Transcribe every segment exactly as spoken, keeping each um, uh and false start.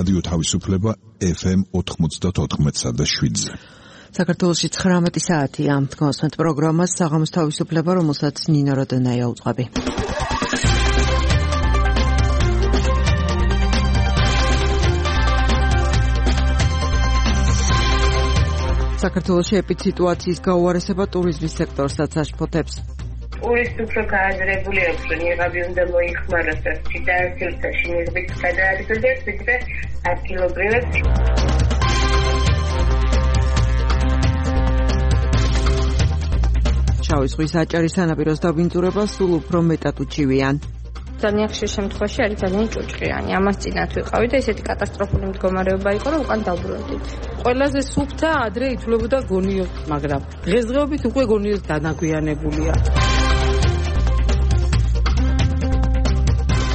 რადიო თავისუფლება ეფ ემ ოთხმოცდაოთხ და შვიდზე. საქართველოში ცხრამეტი საათია. გასვენთ პროგრამას საღამოს თავისუფლება, რომელსაც ნინო როდონაია უწყობი. საქართველოში ეპიდემიის გაუარესება ტურიზმის სექტორსაც აშფოთებს. ტურისტი უფრო გააზრებული აქვს, რომ იღაბი უნდა მოიხმაროს და სიტუაციაში ნიღბით გადაადგილდეს, ვიდრე ადგილობრივად. შავი ზღვის აჭარის სანაპიროს დაბინძურება სულ უფრო მეტად უჩივიან. ძალიან ხშირ შემთხვევაში არის ძალიან ჭუჭყიანი. ამას წინათ ვიყავი და ესეთი კატასტროფული მდგომარეობა იყო, რომ უკან დავბრუნდით. ყველაზე სუფთა ადრე ითვლებოდა გონიო, მაგრამ დღესდღეობით უკვე გონიო დანაგვიანებულია.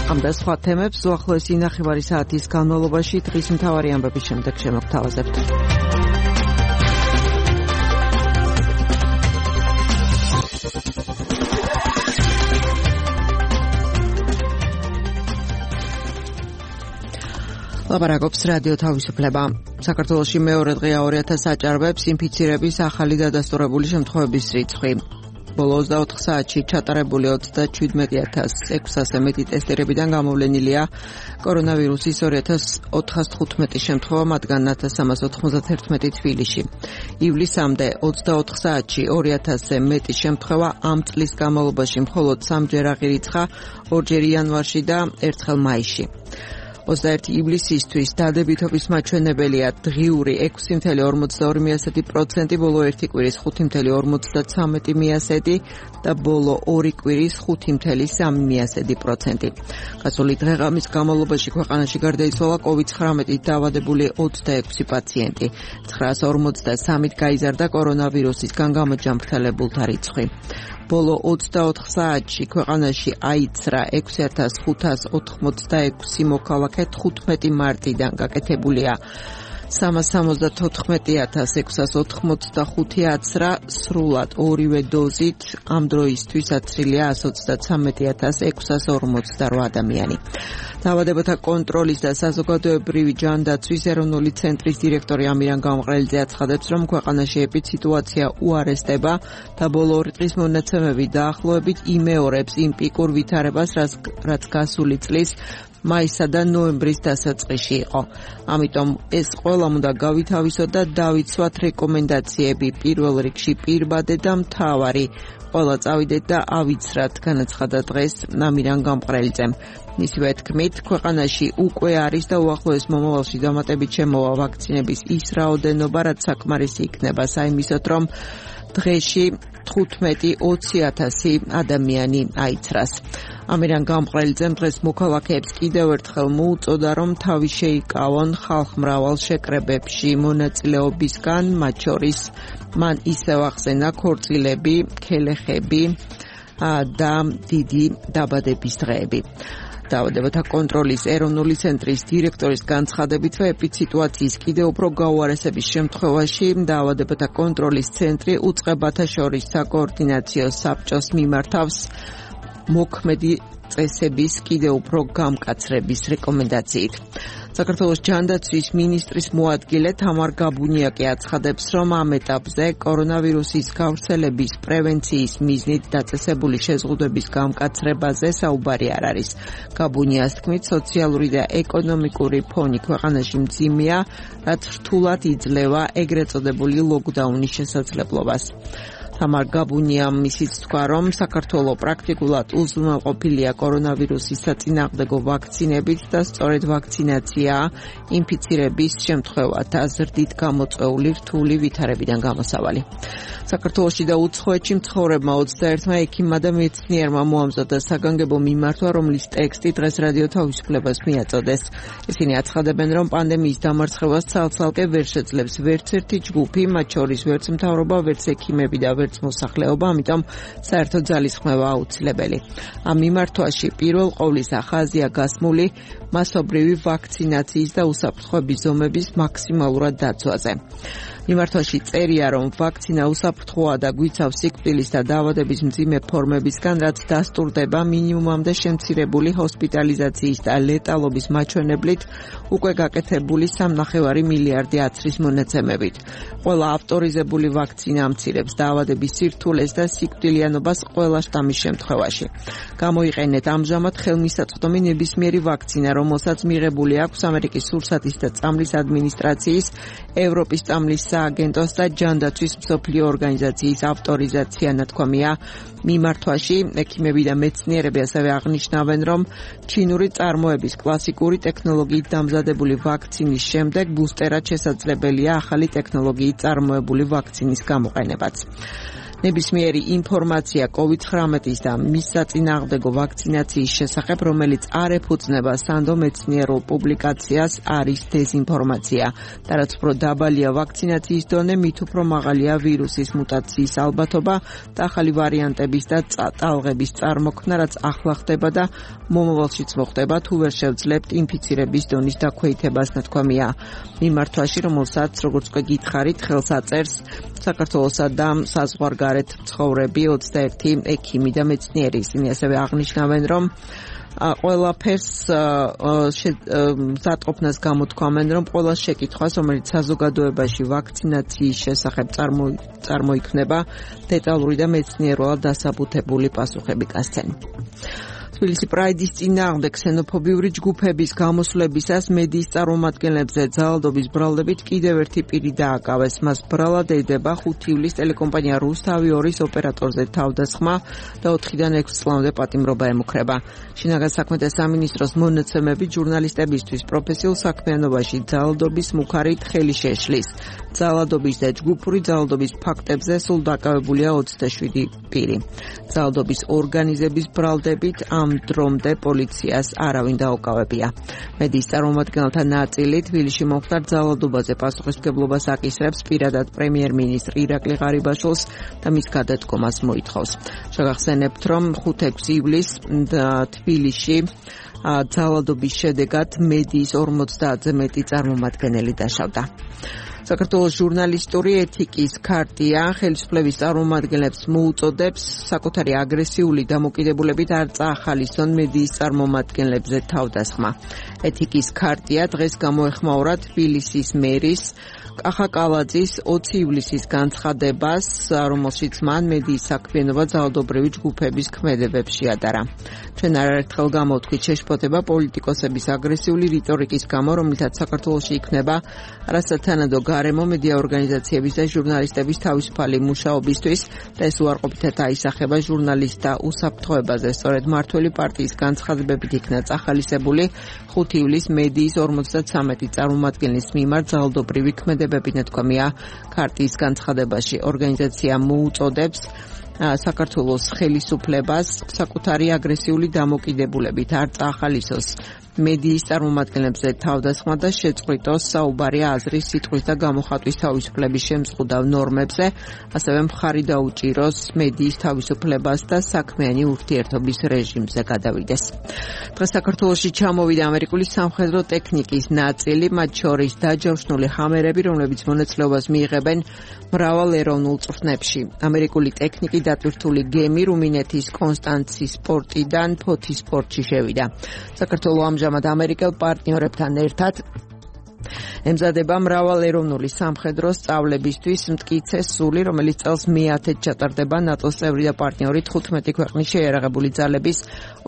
ამ და სხვა თემებს უახლოესი ნახევარი საათის განმავლობაში დღის მთავარი ამბების შემდეგ შემოგთავაზებთ. ლაპარაკობს რადიო თავისუფლება. საქართველოში მეორე დღეა ორი ათას აჭარბებს ინფიცირების ახალი დადასტურებული შემთხვევების რიცხვი. ბოლო ოცდაოთხ საათში ჩატარებული ოცდაჩვიდმეტი ათას ექვსასზე მეტი ტესტირებიდან გამოვლენილია კორონავირუსის ორი ათას ოთხას თხუთმეტი შემთხვევა, მათგან ათას სამას ოთხმოცდაერთმეტი თბილისში. ივლისამდე ოცდაოთხ საათში ორი ათასზე მეტი შემთხვევა, ამ წლის განმავლობაში მხოლოდ სამჯერ აღირიცხა, ორჯერ იანვარში და ერთხელ მაისში. ოცდაერთი ივლისისთვის დადებითობის მაჩვენებელია დღიური ექვსი მცდარი ორმოცდაორი პროცენტი, ბოლო ერთი კვირის ხუთი მცდარი ორმოცდაცამეტი პროცენტი და ბოლო ორი კვირის ხუთი მცდარი სამი პროცენტი. გასული დღე-ღამის განმავლობაში ქვეყანაში გარდაიცვალა კოვიდ ცხრამეტით დაავადებული ოცდაექვსი პაციენტი. ცხრაას ორმოცდასამით გაიზარდა კორონავირუსისგან გამოჯანმრთელებულთა რიცხვი. ბოლო ოცდაოთხ საათში ქვეყანაში აიცრა ექვსი ათას ხუთას ოთხმოცდაექვსი მოქალაქე, თხუთმეტი მარტიდან გაკეთებულია სამას სამოცდათოთხმეტი ათას ექვსას ოთხმოცდახუთი აცრა, სრულად ორივე დოზით ამ დროისთვის აცრილია ასი ოცდაცამეტი ათას ექვსას ორმოცდარვა ადამიანი. დაავადებათა კონტროლის და საზოგადოებრივი ჯანდაცვის ეროვნული ცენტრის დირექტორი ამირან გამყრელიძე აცხადებს, რომ ქვეყანაში ეპიდემია უარესდება და ბოლო ორი წლის მონაცემები დაახლოებით იმეორებს იმ პიკურ ვითარებას, რაც გასული წლის მაისსა და ნოემბრის დასაწყისში იყო. ამიტომ ეს ყველამ უნდა გავითავისოთ და დავიცვათ რეკომენდაციები, პირველ რიგში პირბადე და მთავარი. ყველა წავიდეთ და ავიცრათ, განაცხადა დღეს ამირან გამყრელიძემ. მისივე თქმით, ქვეყანაში უკვე არის და უახლოეს მომავალში დამატებით შემოვა ვაქცინების ის რაოდენობა, რაც საკმარისი იქნება საიმისოდ, რომ დღეში თხუთმეტი ოცი ათასი ადამიანი აიცრას. ამირან გამყრელიძემ დღეს მოქალაქეებს კიდევ ერთხელ მოუწოდა, რომ თავი შეიკავონ ხალხმრავალ შეკრებებში მონაწილეობისგან, მათ შორის მან ისევ ახსენა ქორწილები, ქელეხები და დიდი დაბადების დღეები. დაავადებათა კონტროლის ეროვნული ცენტრის დირექტორის განცხადებითვე ეპიდემიის კიდევ უფრო გაუარესების შემთხვევაში დაავადებათა კონტროლის ცენტრი უწყებათა შორის საკოორდინაციო საბჭოს მიმართავს მოქმედი წესების კიდევ უფრო გამკაცრების რეკომენდაციით. საქართველოს ჯანდაცვის მინისტრის მოადგილე თამარ გაბუნიაკი აცხადებს, რომ ამ ეტაპზე კორონავირუსის გავრცელების პრევენციის მიზნით დაწესებული შეზღუდვების გამკაცრებაზე საუბარი არ არის. გაბუნიას თქმით, სოციალური და ეკონომიკური ფონი ქვეყანაში მძიმეა, რაც რთულად იძლევა ეგრეთ წოდებული ლოკდაუნის შესაძლებლობას. თამარ გაბუნიამ ისიც თქვა, რომ საქართველოს პრაქტიკულად უზრუნველყოფილია კორონავირუსის საწინააღმდეგო ვაქცინებით და სწორედ ვაქცინაცია ინფიცირების შემთხვევათა ზრდით გამოწვეული რთული ვითარებიდან გამოსავალი. საქართველოში და უცხოეთში მცხოვრებმა ოცდაერთმა ექიმმა და მეცნიერმა მოამზადა საგანგებო მიმართვა, რომლის ტექსტი დღეს რადიო თავისუფლებას მიაწოდეს. ისინი აცხადებენ, რომ პანდემიის დამარცხებას ცალ-ცალკე ვერ შეძლებს ვერც ერთი ჯგუფი, მათ შორის ვერც მთავრობა, ვერც ექიმები და ვერც მოსახლეობა, ამიტომ საერთო ძალისხმევა აუცილებელი. ამ მიმართვაში პირველ ყოვლისა ხაზია გასმული მასობრივი ვაქცინაციის და უსაფრთხოების ზომების მაქსიმალურად დაცვაზე. მიმართვაში წერია, რომ ვაქცინა უსაფრთხოა და გვიცავს სიკვდილის და დაავადების მძიმე ფორმებისგან, რაც დასტურდება მინიმუმამდე შემცირებული ჰოსპიტალიზაციის და ლეტალობის მაჩვენებლით უკვე გაკეთებული სამნახევარი მილიარდი აცრის მონაცემებით. Ყველა ავტორიზებული ვაქცინა ამცირებს დაავადების სირთულეს და სიკვდილიანობას ყველა შტამის შემთხვევაში. Გამოიყენეთ ამჟამად ხელმისაწვდომი ნებისმიერი ვაქცინა, რომელსაც მიღებული აქვს ამერიკის სურსათის და წამლის ადმინისტრაციის, ევროპის წამლის სააგენტოს და ჯანდაცვის მსოფლიო ორგანიზაციის ავტორიზაცია, ნათქვამია მიმართვაში. ექიმები და მეცნიერები ასევე აღნიშნავენ, რომ ჩინური წარმოების კლასიკური ტექნოლოგიით დამზადებული ვაქცინის შემდეგ ბუსტერად შესაძლებელია ახალი ტექნოლოგიით წარმოებული ვაქცინის გამოყენებაც. ნებისმიერი ინფორმაცია კოვიდ ცხრამეტის და მის საწინააღმდეგო ვაქცინაციის შესახებ, რომელიც არ ეფუძნება სანდო მეცნიერულ პუბლიკაციას, არის დეზინფორმაცია. და რაც უფრო დაბალია ვაქცინაციის დონე, მით უფრო მაღალია ვირუსის მუტაციის ალბათობა და ახალი ვარიანტების და ტალღების წარმოქმნა, რაც ახლა ხდება და მომავალშიც მოხდება, თუ ვერ შევძლებთ ინფიცირების დონის დაქვეითებას, ნათქვამია მიმართვაში, რომელსაც, როგორც უკვე გითხარით, ხელს აწერს საქართველოსა და საზღვარგარეთ მცხოვრები ოცდაერთი ექიმი და მეცნიერი. ისინი ასევე აღნიშნავენ, რომ ყველაფერს ზატყოფნას გამოთქვამენ, რომ ყველა შეკითხვას, რომელიც საზოგადოებაში ვაქცინაციის შესახებ წარმოიქმნება, დეტალური და მეცნიერულად დასაბუთებული პასუხები გასცენ. თბილისი პრაიდის წინააღმდეგ ქსენოფობიური ჯგუფების გამოსვლებისას მედიის წარმომადგენლებზე ძალადობის ბრალდებით კიდევ ერთი პირი დააკავეს. მას ბრალად ედება ხუთი ივლისს ტელეკომპანია რუსთავი ორის ოპერატორზე თავდასხმა და ოთხიდან ექვსი წლამდე პატიმრობა ემუქრება. შინაგან საქმეთა სამინისტროს მონაცემებით ჟურნალისტებისთვის პროფესიულ საქმიანობაში ძალადობის მუქარით ხელი შეშლის. ძალადობის და ჯგუფური ძალადობის ფაქტებზე სულ დაკავებულია ოცდაშვიდი პირი. ძალადობის ორგანიზების ბრალდებით ამ დრომდე პოლიციას არავინ დაუკავებია. მედიის წარმომადგენელთა ნაწილი თბილისში მომხდარ ძალადობაზე პასუხისმგებლობას აკისრებს პირადად პრემიერ-მინისტრ ირაკლი ღარიბაშვილს და მის გადადგომას მოითხოვს. შეგახსენებთ, რომ ხუთი-ექვსი ივლისს თბილისში ძალადობის შედეგად მედიის ორმოცდაათზე მეტი წარმომადგენელი დაშავდა. საქართველოს ჟურნალისტური ეთიკის ქარტია ხელისუფლების წარმომადგენლებს მოუწოდებს საკუთარი აგრესიული დამოკიდებულებით არ წაახალისონ მედიის წარმომადგენლებზე თავდასხმა. ეთიკის ქარტია დღეს გამოეხმაურა თბილისის მერის კახა კალაძის ოცი ივლისის განცხადებას, რომელშიც მან მედიის საქმიანობა ძალადობრივი ჯგუფების ქმედებებს შეადარა. ჩვენ არაერთხელ გამოვთქვით შეშფოთება პოლიტიკოსების აგრესიული რიტორიკის გამო, რომლითაც საქართველოში იქნება არასათანადო გარემო მედია ორგანიზაციების და ჟურნალისტების თავისუფალი მუშაობისთვის და ეს უარყოფითად აისახება ჟურნალისტთა უსაფრთხოებაზე. სწორედ მმართველი პარტიის განცხადებებით იქნა წახალისებული ხუთი ივლისს მედიის ორმოცდათვრამეტი წარმომადგენლის მიმართ ძალადობრივი ქმედებები, ნათქვამია ქარტიის განცხადებაში. ორგანიზაცია მოუწოდებს საქართველოს ხელისუფლებას საკუთარი აგრესიული დამოკიდებულებით არ წაახალისოს მედიის წარმომადგენლებზე თავდასხმა და შეწყვიტოს საუბარი აზრის, სიტყვის და გამოხატვის თავისუფლების შემზღუდავ ნორმებზე, ასევე მხარი დაუჭიროს მედიის თავისუფლებას და საქმიანი ურთიერთობის რეჟიმზე გადავიდეს. დღეს საქართველოში ჩამოვიდა ამერიკული სამხედრო ტექნიკის ნაწილი, მათ შორის დაჯავშნული ჰამერები, რომლებიც მონაწილეობას მიიღებენ მრავალ ეროვნულ წვრთნებში. ამერიკული ტექნიკი დატვირთული გემი რუმინეთის კონსტანცის პორტიდან ფოთის პორტში შევიდა. საქართველო ამჟამად ამერიკელ პარტნიორებთან ერთად ემზადება მრავალეროვნული სამხედრო სწავლებისთვის მტკიცე სული, რომელიც წელს მეათედ ჩატარდება ნატოს წევრი და პარტნიორი თხუთმეტი ქვეყნის შეიარაღებული ძალების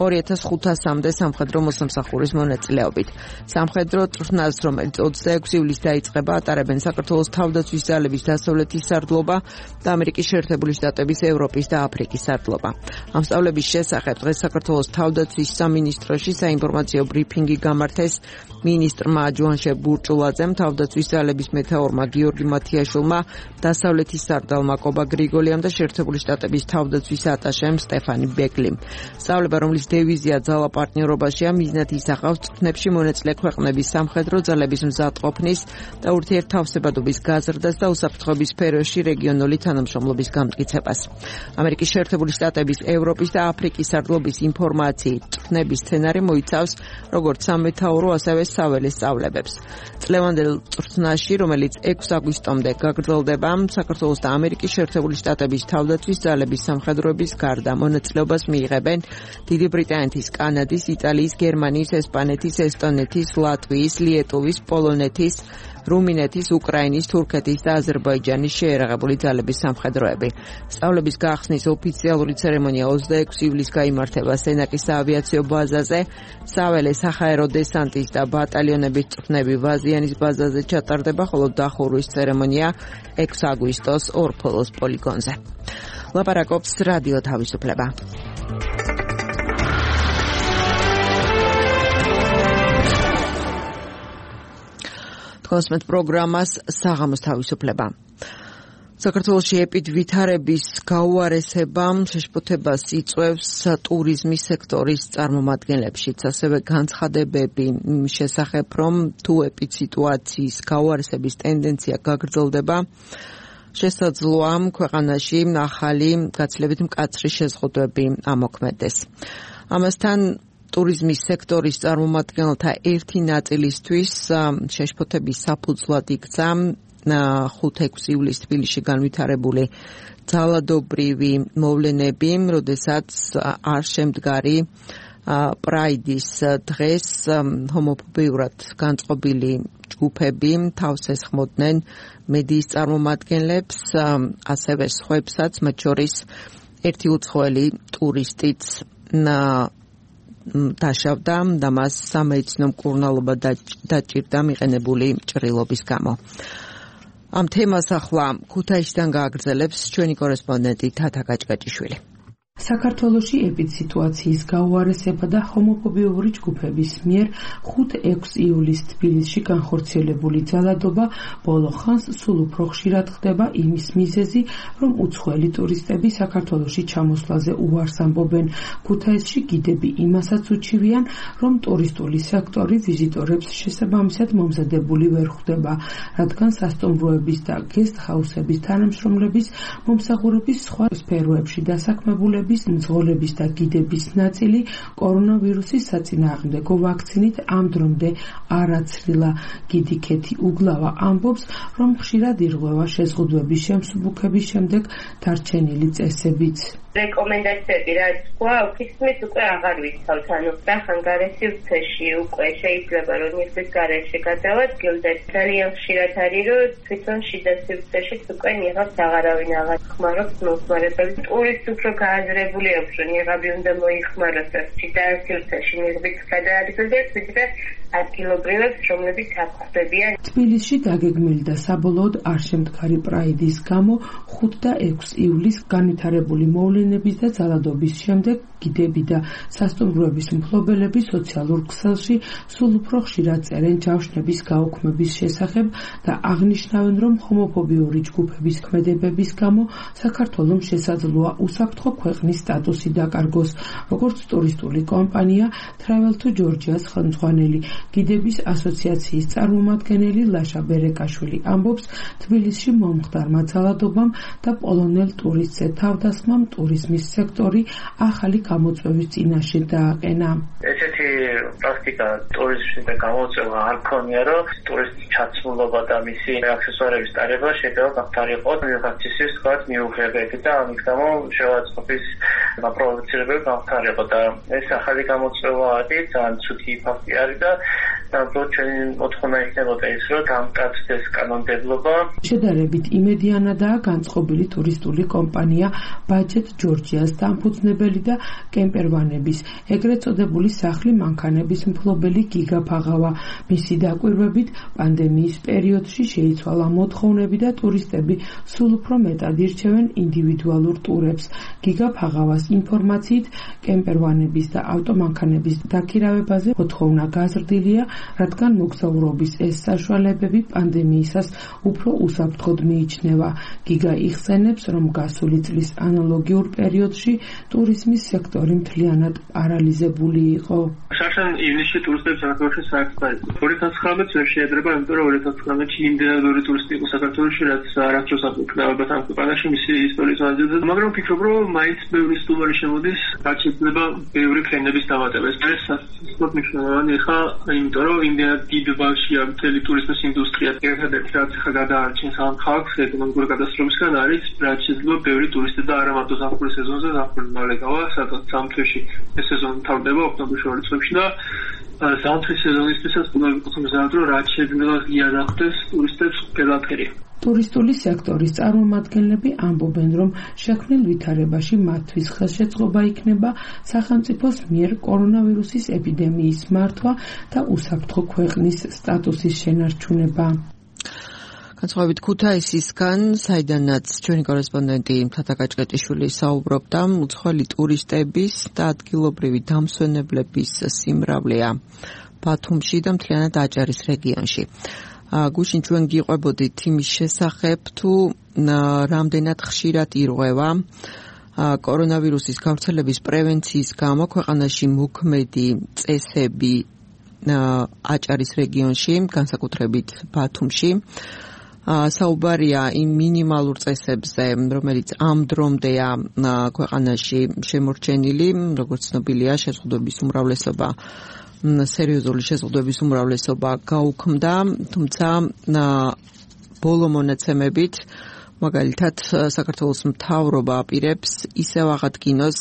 ორი ათას ხუთასამდე სამხედრო მოსამსახურის მონაწილეობით. სამხედრო წვრთნას, რომელიც ოცდაექვსი ივლისს დაიწყება, ატარებენ საქართველოს თავდაცვის ძალების დასავლეთის სარდლობა და ამერიკის შეერთებული შტატების, ევროპის და აფრიკის სარდლობა. ამ სწავლების შესახებ დღეს საქართველოს თავდაცვის სამინისტროში საინფორმაციო ბრიფინგი გამართეს მინისტრმა ჯუანშე ბურჭულაძემ, თავდაცვის ძალების მეთაურმა გიორგი მათიაშვილმა, დასავლეთის სარდალმა კობა გრიგოლიამ და შეერთებული შტატების თავდაცვის ატაშემ სტეფანი ბეკლიმ. სწავლება, რომლის დევიზია ძალა პარტნიორობაშია, მიზნად ისახავს წვრთნებში მონაწილე ქვეყნების სამხედრო ძალების მზადყოფნის და ურთიერთთავსებადობის გაზრდას და უსაფრთხოების სფეროში რეგიონული თანამშრომლობის გამტკიცებას. ამერიკის შეერთებული შტატების, ევროპის და აფრიკის სარდლობის ინფორმაციით წვრთნების სცენარი მოიცავს როგორც სამეთაურო, ასევე საველე სწავლებებს. წლევანდელ წვრთნაში, რომელიც ექვსი აგვისტომდე გაგრძელდება, საქართველოს და ამერიკის შეერთებული შტატების თავდაცვის ძალების სამხედროების გარდა მონაწილეობას მიიღებენ დიდი ბრიტანეთის, კანადის, იტალიის, გერმანიის, ესპანეთის, ესტონეთის, ლატვიის, ლიეტუვის, პოლონეთის, რუმინეთის, უკრაინის, თურქეთის და აზერბაიჯანის შეერაღებული ძალების სამხედროები. სწავლების გახსნის ოფიციალური ცერემონია ოცდაექვსი ივლისს გაიმართება სენაკის საავიაციო ბაზაზე, საველე საჰაერო დესანტის და ბატალიონების წვრთნები ვაზიანის ბაზაზე ჩატარდება, ხოლო დახურვის ცერემონია ექვსი აგვისტოს ორფოლოს პოლიგონზე. ლაპარაკობს რადიო თავისუფლება. კონსმეთ პროგრამას საღამოს თავისუფლება. საქართველოში ეპიდვითარების გაუარესება შეშფოთებას იწვევს ტურიზმის სექტორის წარმომადგენლებშიც, ასევე განცხადებები შესახებ, რომ თუ ეპიდსიტუაციის გაუარესების ტენდენცია გაგრძელდება, შესაძლოა ქვეყანაში ახალი გაცილებით მკაცრი შეზღუდვები ამოქმედეს. ამასთან ტურიზმის სექტორის წარმომადგენელთა ერთი ნაწილისთვის შეშფოთების საფუძვლად იქცა ხუთი-ექვსი ივლისს თბილისში განვითარებული ძალადობრივი მოვლენები, როდესაც არ შემდგარი პრაიდის დღეს ჰომოფობიურად განწყობილი ჯგუფები თავს ესხმოდნენ მედიის წარმომადგენლებს, ასევე სხვებსაც, მათ შორის ერთი უცხოელი ტურისტიც დაშავდა და მას სამედიცინო მკურნალობა დაჭირდა მიყენებული ჭრილობის გამო. ამ თემას ახლა ქუთაისიდან გააგრძელებს ჩვენი კორესპონდენტი თათა გაჭგაჭიშვილი. საქართველოში ეპიდსიტუაციის გაუარესება და ჰომოფობიური ჯგუფების მიერ ხუთი-ექვსი ივლისს თბილისში განხორციელებული ძალადობა ბოლო ხანს სულ უფრო ხშირად ხდება იმის მიზეზი, რომ უცხოელი ტურისტები საქართველოში ჩამოსვლაზე უარს ამბობენ. ქუთაისში გიდები იმასაც უჩივიან, რომ ტურისტული სექტორი ვიზიტორებს შესაბამისად მომზადებული ვერ ხვდება, რადგან სასტუმროების და გესტჰაუსების თანამშრომლების მომსახურების სხვა სფეროებში დასაქმებულები მძღოლების და გიდების ნაწილი კორონავირუსის საწინააღმდეგო ვაქცინით ამ დრომდე არ აცრილა. გიდი ქეთი უგლავა ამბობს, რომ ხშირად ირღვევა შეზღუდვების შემსუბუქების შემდეგ დარჩენილი წესებიც. რეკომენდაციები რაც გვაქვს, ისმის უკვე აღარ ვიცავთ, ანუ სახანგარესი ვრცეში უკვე შეიძლება რომ მისთვის გარეშე გადავადგილდეთ. ძალიან ხშირად არის, რომ თვითონ შიდა სივრცეშიც უკვე ნიღავს აღარავინ აღარ ხმარობს მომხმარებელი. ტურისტი უფრო გააზრებული აქვს, რომ ნიღაბი უნდა მოიხმაროს შიდა სივრცეში ნიღბით გადაადგილდეთ, ვიდრე ადგილობრივებს, რომლებიც აქ ხვდებიან. თბილისში დაგეგმილი და საბოლოოდ არ შემდგარი პრაიდის გამო ხუთი და ექვსი ივლისს განვითარებული მოვლენების და ძალადობის შემდეგ გიდები და სასტუმროების მფლობელები სოციალურ ქსელში სულ უფრო ხშირად წერენ ჯავშნების გაუქმების შესახებ და აღნიშნავენ, რომ ჰომოფობიური ჯგუფების ქმედებების გამო საქართველოს შესაძლოა უსაფრთხო ქვეყნის სტატუსი დაკარგოს. როგორც ტურისტული კომპანია Travel to Georgia-ს ხელმძღვანელი გიდების ასოციაციის წარმომადგენელი ლაშა ბერეკაშვილი ამბობს, თბილისში მომხდარმა ძალადობამ და პოლონელ ტურისტზე თავდასხმამ ტურიზმის სექტორი ახალი გამოწვევის წინაშე დააყენა. ესეთი პრაქტიკა ტურიზმში და გამოწვევა არ ქონია, რომ ტურისტის ჩაცმულობა და მისი აქსესუარების ტარება შეიძლება გახდარიყოთ ვიღაცის თქვათ მიუღებები და ამის გამო შევაწყობის გაპროვოცირებელი გახდარიყო და ეს ახალი გამოწვევა არის, ძალიან ცუდი ფაქტი არის და უბრალოდ ჩვენი მოთხოვნა იქნებოდა ის, რომ დამტკიცდეს კანონმდებლობა. შედარებით იმედიანადაა განწყობილი ტურისტული კომპანია Budget Georgia-ს დამფუძნებელი და კემპერვანების ეგრეთ წოდებული სახლი მანქანების მფლობელი გიგა ფაღავა. მისი დაკვირვებით პანდემიის პერიოდში შეიცვალა მოთხოვნები და ტურისტები სულ უფრო მეტად ირჩევენ ინდივიდუალურ ტურებს. გიგა ფაღავას ინფორმაციით კემპერვანების და ავტომანქანების დაქირავებაზე მოთხოვნა გაზრდილია, რადგან მოგზაურობის ეს საშუალებები პანდემიისას უფრო უსაფრთხოდ მიიჩნევა. გიგა იხსენებს, რომ გასული წლის ანალოგიურ პერიოდში ტურიზმის სექტორი მთლიანად პარალიზებული იყო. შაშან ივნისში ტურისტებს საქართველოში საერთოდ ორი ათას ცხრამეტს ვერ შეედრება, იმიტომ რომ ორი ათას ცხრამეტში იმდენად ორი ტურისტი იყო საქართველოში, რაც არასდროს არ იქნებოდა ამ ქვეყანაში მისი ისტორიის მანძილზე. მაგრამ ვფიქრობ, რომ მაინც ბევრი სტუმარი შემოდის, რაც შეიძლება ბევრი კლიენტების დამატება. ეს არის სასწრაფოდ მნიშვნელოვანი ხა, იმიტომ რომ იმდენად დიდ ბავშვია მთელი ტურიზმის ინდუსტრია. ერთადერთი რაც ხა გადაარჩენს ამ ხალხს ეკონომიკური კატასტროფისგან არის, რაც შეიძლება ბევრი ტურისტი და არა მარტო ზაფხულის სეზონზე, ზაფხული მალე გავა, სადაც სამ თვეში ეს სეზონი თავდება ოქტომბრის შუა რიცხვებში და ზამთრის სეზონისთვისაც უნდა ვიყოს მზად, რომ რაც შეიძლება იარაღდეს ტურისტებს ყველაფერი. ტურისტული სექტორის წარმომადგენლები ამბობენ, რომ შექმნილ ვითარებაში მათთვის ხელშეწყობა იქნება სახელმწიფოს მიერ კორონავირუსის ეპიდემიის მართვა და უსაფრთხო ქვეყნის სტატუსის შენარჩუნება. განსხვავებით ქუთაისისგან, საიდანაც ჩვენი კორესპონდენტი მთათა გაჭყეჭიშვილი საუბრობდა, უცხოელი ტურისტების და ადგილობრივი დამსვენებლების სიმრავლეა ბათუმში და მთლიანად აჭარის რეგიონში. გუშინ ჩვენ გიყვებოდით იმის შესახებ, თუ რამდენად ხშირად ირღვევა კორონავირუსის გავრცელების პრევენციის გამო ქვეყანაში მოქმედი წესები აჭარის რეგიონში, განსაკუთრებით ბათუმში. საუბარია იმ მინიმალურ წესებზე, რომელიც ამ დრომდეა ქვეყანაში შემორჩენილი, როგორც ცნობილია, შეზღუდვების უმრავლესობა სერიოზული შეზღუდვების უმრავლესობა გაუქმდა, თუმცა ბოლო მონაცემებით, მაგალითად, საქართველოს მთავრობა აპირებს ისევ აღადგინოს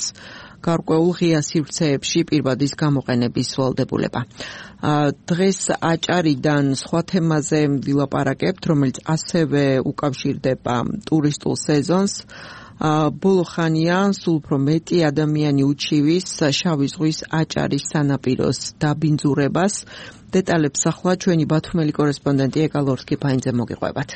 გარკვეულ ღია სივრცეებში პირბადის გამოყენების ვალდებულება. დღეს აჭარიდან სხვა თემაზე ვილაპარაკებთ, რომელიც ასევე უკავშირდება ტურისტულ სეზონს. ბოლო ხანია სულ უფრო მეტი ადამიანი უჩივის შავი ზღვის აჭარის სანაპიროს დაბინძურებას. დეტალებს ახლა ჩვენი ბათუმელი კორესპონდენტი ეკალორს კიფაინძე მოგიყვებათ.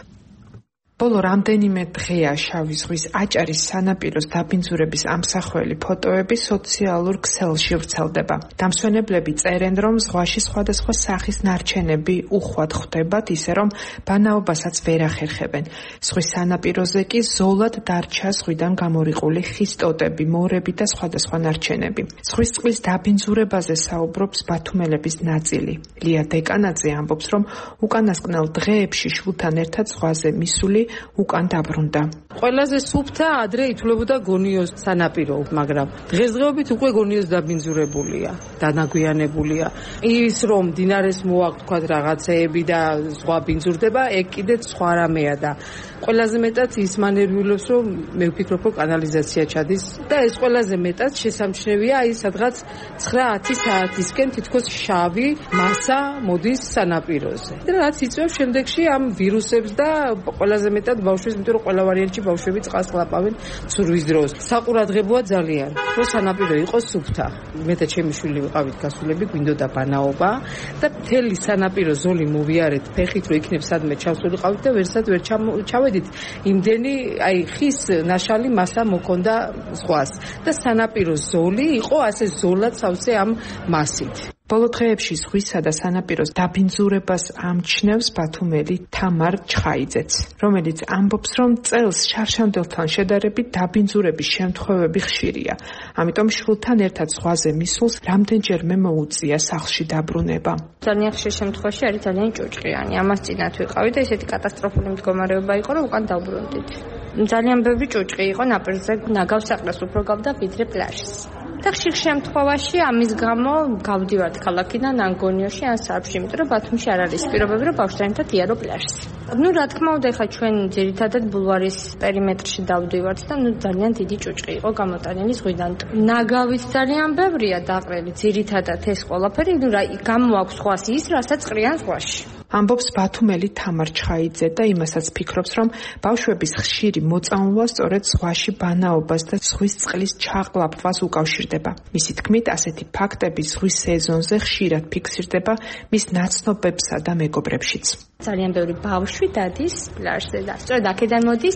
ბოლო რამდენიმე დღეა შავი ზღვის აჭარის სანაპიროს დაბინძურების ამსახველი ფოტოები სოციალურ ქსელში ვრცელდება. დამსვენებლები წერენ, რომ ზღვაში სხვადასხვა სახის ნარჩენები უხვად ხვდებათ, ისე რომ ბანაობასაც ვერ ახერხებენ. ზღვის სანაპიროზე კი ზოლად დარჩა ზღვიდან გამორიყული ხის ტოტები, მორები და სხვადასხვა ნარჩენები. ზღვის წყლის დაბინძურებაზე საუბრობს ბათუმელების ნაწილი. ლია დეკანაძე ამბობს, რომ უკანასკნელ დღეებში შვილთან ერთად ზღვაზე მისული უკან დაბრუნდა. ყველაზე სუფთა ადრე ითვლებოდა გონიოს სანაპირო, მაგრამ დღესდღეობით უკვე გონიოს დაბინძურებულია, დანაგვიანებულია. ის რომ დინარეს მოაქვთ რაღაცეები და ზღვა ბინძურდება, ეგ კიდეც სხვა რამეა და ყველაზე მეტად ის მანერვიულობს, რომ მე ვფიქრობ, რომ კანალიზაცია ჩადის და ეს ყველაზე მეტად შესამჩნევია, აი სადღაც ცხრა ათი საათისკენ თითქოს შავი მასა მოდის სანაპიროზე. და რაც იწვევს შემდეგში ამ ვირუსებს და ყველაზე მეტად ბავშვებს, იმიტომ რომ ყველა ვარიანტში ბავშვები წყალს ყლაპავენ ცურვის დროს. საყურადღებოა ძალიან, რომ სანაპირო იყოს სუფთა. მე და ჩემი შვილი ვიყავით გასულები, გვინდოდა ბანაობა და მთელი სანაპირო ზოლი მოვიარეთ ფეხით, რომ იქნებ სადმე ჩავსულიყავით და ვერსად ვერ ჩავედით. იმდენი აი ხის ნაშალი მასა მოქონდა ზღვას და სანაპირო ზოლი იყო ასე ზოლად სავსე ამ მასით. ბოლო დღეებში ზღვისა და სანაპიროს დაბინძურებას ამჩნევს ბათუმელი თამარ ჩხაიძეც, რომელიც ამბობს, რომ წელს შარშანდელთან შედარებით დაბინძურების შემთხვევები ხშირია. ამიტომ შვილთან ერთად ზღვაზე მისულს რამდენჯერმე მოუწია სახლში დაბრუნება. ძალიან ხშირ შემთხვევაში არის ძალიან ჭუჭყიანი. ამას წინათ ვიყავი და ესეთი კატასტროფული მდგომარეობა იყო, რომ უკან დავბრუნდით. ძალიან ბევრი ჭუჭყი იყო ნაპირზე, ნაგავსაყრას უფრო გავდა ვიდრე პლაჟს. და ხშირ შემთხვევაში ამის გამო გავდივართ ქალაქიდან ან გონიოში ან სარფში, იმიტომ რომ ბათუმში არ არის პირობები, რომ ბავშვთან ერთად იარო პლაჟს. ნუ რა თქმა უნდა, ხა ჩვენ ძირითადად ბულვარის პერიმეტრში დავდივართ და ნუ ძალიან დიდი ჭუჭყი იყო გამოტანილი ზღვიდან. ნაგავიც ძალიან ბევრია დაყრილი, ძირითადად ეს ყველაფერი, ნუ რა გამოაქვს ზღვას ის, რასაც ყრიან ზღვაში. ამბობს ბათუმელი თამარ ჩხაიძე და იმასაც ფიქრობს, რომ ბავშვების ხშირი მოწამვლა სწორედ ზღვაში ბანაობას და ზღვის წყლის ჩაყლაპვას უკავშირდება. მისი თქმით, ასეთი ფაქტები ზღვის სეზონზე ხშირად ფიქსირდება მის ნაცნობებსა და მეგობრებშიც. ძალიან ბევრი ბავშვი დადის პლაჟზე და სწორედ აქედან მოდის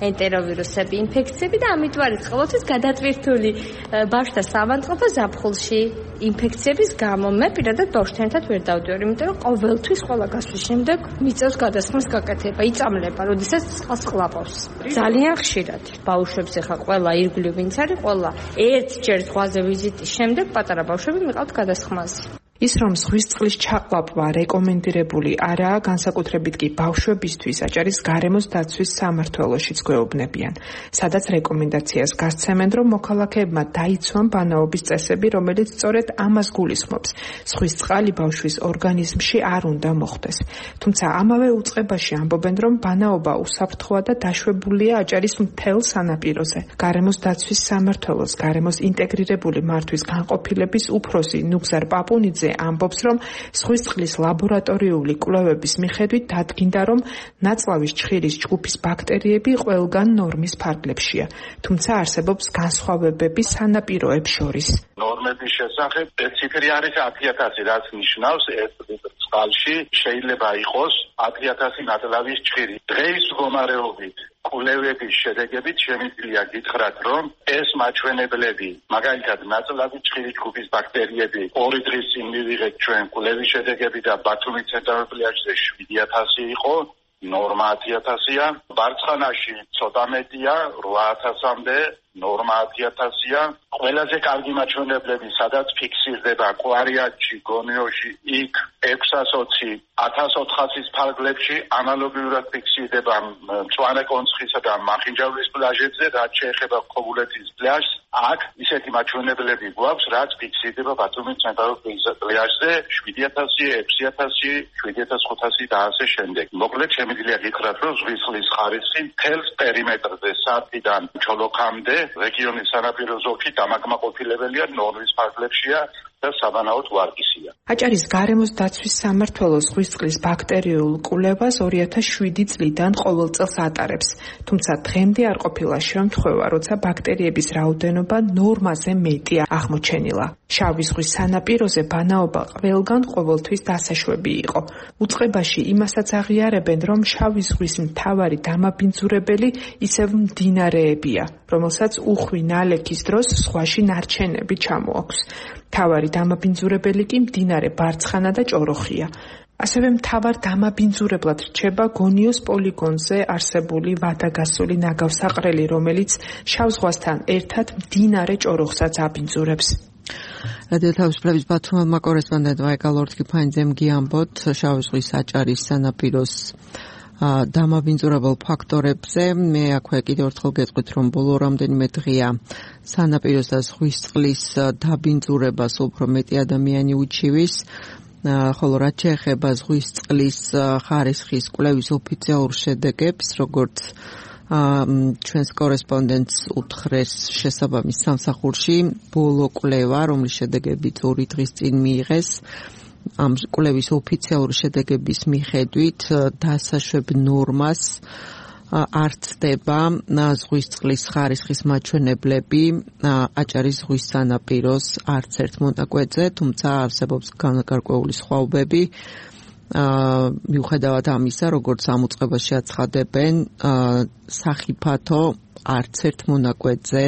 ენტეროვირუსები, ინფექციები და ამიტომ არის ყოველთვის გადატვირთული ბავშვთა საავადმყოფო ზაფხულში ინფექციების გამო. მე პირადად ბავშვთან ერთად ვერ დავდივარ, იმიტომ რომ ყოველთვის ყველა გასვლის შემდეგ მიწევს გადასხმის გაკეთება, იწამლება, როდესაც წყალს ყლაპავს. ძალიან ხშირად ბავშვებს ახლა ყველა ირგვლივ ვინც არის, ყველა ერთჯერ ზღვაზე ვიზიტის შემდეგ პატარა ბავშვები მიყავთ გადასხმაზე. ის რომ ზღვის წყლის ჩაყვაპვა რეკომენდირებული არაა, განსაკუთრებით კი ბავშვებისთვის აჭარის გარემოს დაცვის სამმართველოშიც გვეუბნებიან, სადაც რეკომენდაციას გასცემენ, რომ მოქალაქეებმა დაიცვან ბანაობის წესები, რომელიც სწორედ ამას გულისხმობს. ზღვის წყალი ბავშვის ორგანიზმში არ უნდა მოხვდეს. თუმცა ამავე უწყებაში ამბობენ, რომ ბანაობა უსაფრთხოა და დაშვებულია აჭარის მთელ სანაპიროზე. გარემოს დაცვის სამმართველოს გარემოს ინტეგრირებული მართვის განყოფილების უფროსი ნუგზარ პაპუნიძე ამბობს, რომ ზღვის წყლის ლაბორატორიული კვლევების მიხედვით დადგინდა, რომ ნაწლავის ჩხირის ჯგუფის ბაქტერიები ყველგან ნორმის ფარგლებშია, თუმცა არსებობს განსხვავებები სანაპიროებს შორის. ნორმების შესახებ ციფრი არის ათი ათასი, რაც ნიშნავს ერთ ლიტრ წყალში შეიძლება იყოს ათი ათასი ნაწლავის ჩხირი. დღეის მდგომარეობით კვლევების შედეგებით შემიძლია გითხრათ, რომ ეს მაჩვენებლები, მაგალითად ნაწლავის ჩხირის ჯგუფის ბაქტერიები ორი დღის წინ მივიღეთ ჩვენ კვლევის შედეგები და ბათუმის ცენტრალურ პლაჟზე შვიდი ათასი იყო, ნორმა ათი ათასია, ბარცხანაში ცოტა მეტია, რვა ათასამდე, ნორმა ათი ათასია. ყველაზე კარგი მაჩვენებლები, სადაც ფიქსირდება კვარიატში, გონიოში, იქ ექვსას ოცი, ათას ოთხასის ფარგლებში ანალოგიურად ფიქსირდება მწვანე კონცხისა და მახინჯაურის პლაჟებზე, რაც შეეხება ქობულეთის პლაჟს. აქ ისეთი მაჩვენებლები გვაქვს, რაც ფიქსირდება ბათუმის ცენტრალურ პლაჟზე შვიდი ათასი, ექვსი ათასი, შვიდი ათას ხუთასი და ასე შემდეგ. მოკლედ შემიძლია გითხრათ, რომ ზღვის წყლის ხარისხი მთელს პერიმეტრზე სათიდან ჩოლოქამდე რეგიონის სანაპირო ზოლში დამაკმაყოფილებელია, ნორმის ფარგლებშია და საბანაოდ ვარგისია. აჭარის გარემოს დაცვის სამმართველოს ზღვის წყლის ბაქტერიულ კვლევას ორი ათას შვიდი წლიდან ყოველ წელს ატარებს, თუმცა დღემდე არ ყოფილა შემთხვევა, როცა ბაქტერიების რაოდენობა ნორმაზე მეტი აღმოჩენილა. შავი ზღვის სანაპიროზე ბანაობა ყველგან ყოველთვის დასაშვები იყო. უწყებაში იმასაც აღიარებენ, რომ შავი ზღვის მთავარი დამაბინძურებელი ისევ მდინარეებია, რომელსაც უხვი ნალექის დროს ზღვაში ნარჩენები ჩამოაქვს. მთავარი დამაბინძურებელი კი მდინარე ბარცხანა და ჭოროხია. ასევე მთავარ დამაბინძურებლად რჩება გონიოს პოლიგონზე არსებული ვადაგასული ნაგავსაყრელი, რომელიც შავ ზღვასთან ერთად მდინარე ჭოროხსაც აბინძურებს. რადიო თავისუფლების ბათუმელმა კორესპონდენტმა ეკალორთ კიფანიძემ გიამბოთ შავი ზღვის აჭარის სანაპიროს დამაბინძურებელ ფაქტორებზე. მე აქვე კიდევ ერთხელ გეტყვით, რომ ბოლო რამდენიმე დღეა სანაპიროს და ზღვის წყლის დაბინძურებას უფრო მეტი ადამიანი უჩივის, ხოლო რაც შეეხება ზღვის წყლის ხარისხის კვლევის ოფიციალურ შედეგებს, როგორც ჩვენს კორესპონდენტს უთხრეს შესაბამის სამსახურში, ბოლო კვლევა, რომლის შედეგებიც ორი დღის წინ მიიღეს, ამ კვლევის ოფიციალური შედეგების მიხედვით დასაშვებ ნორმას არ ცდება ზღვის წყლის ხარისხის მაჩვენებლები აჭარის ზღვის სანაპიროს არც ერთ მონაკვეთზე, თუმცა არსებობს განკარკვეული სხვაობები. მიუხედავად ამისა, როგორც ამ უწყებაში აცხადებენ, სახიფათო არც ერთ მონაკვეთზე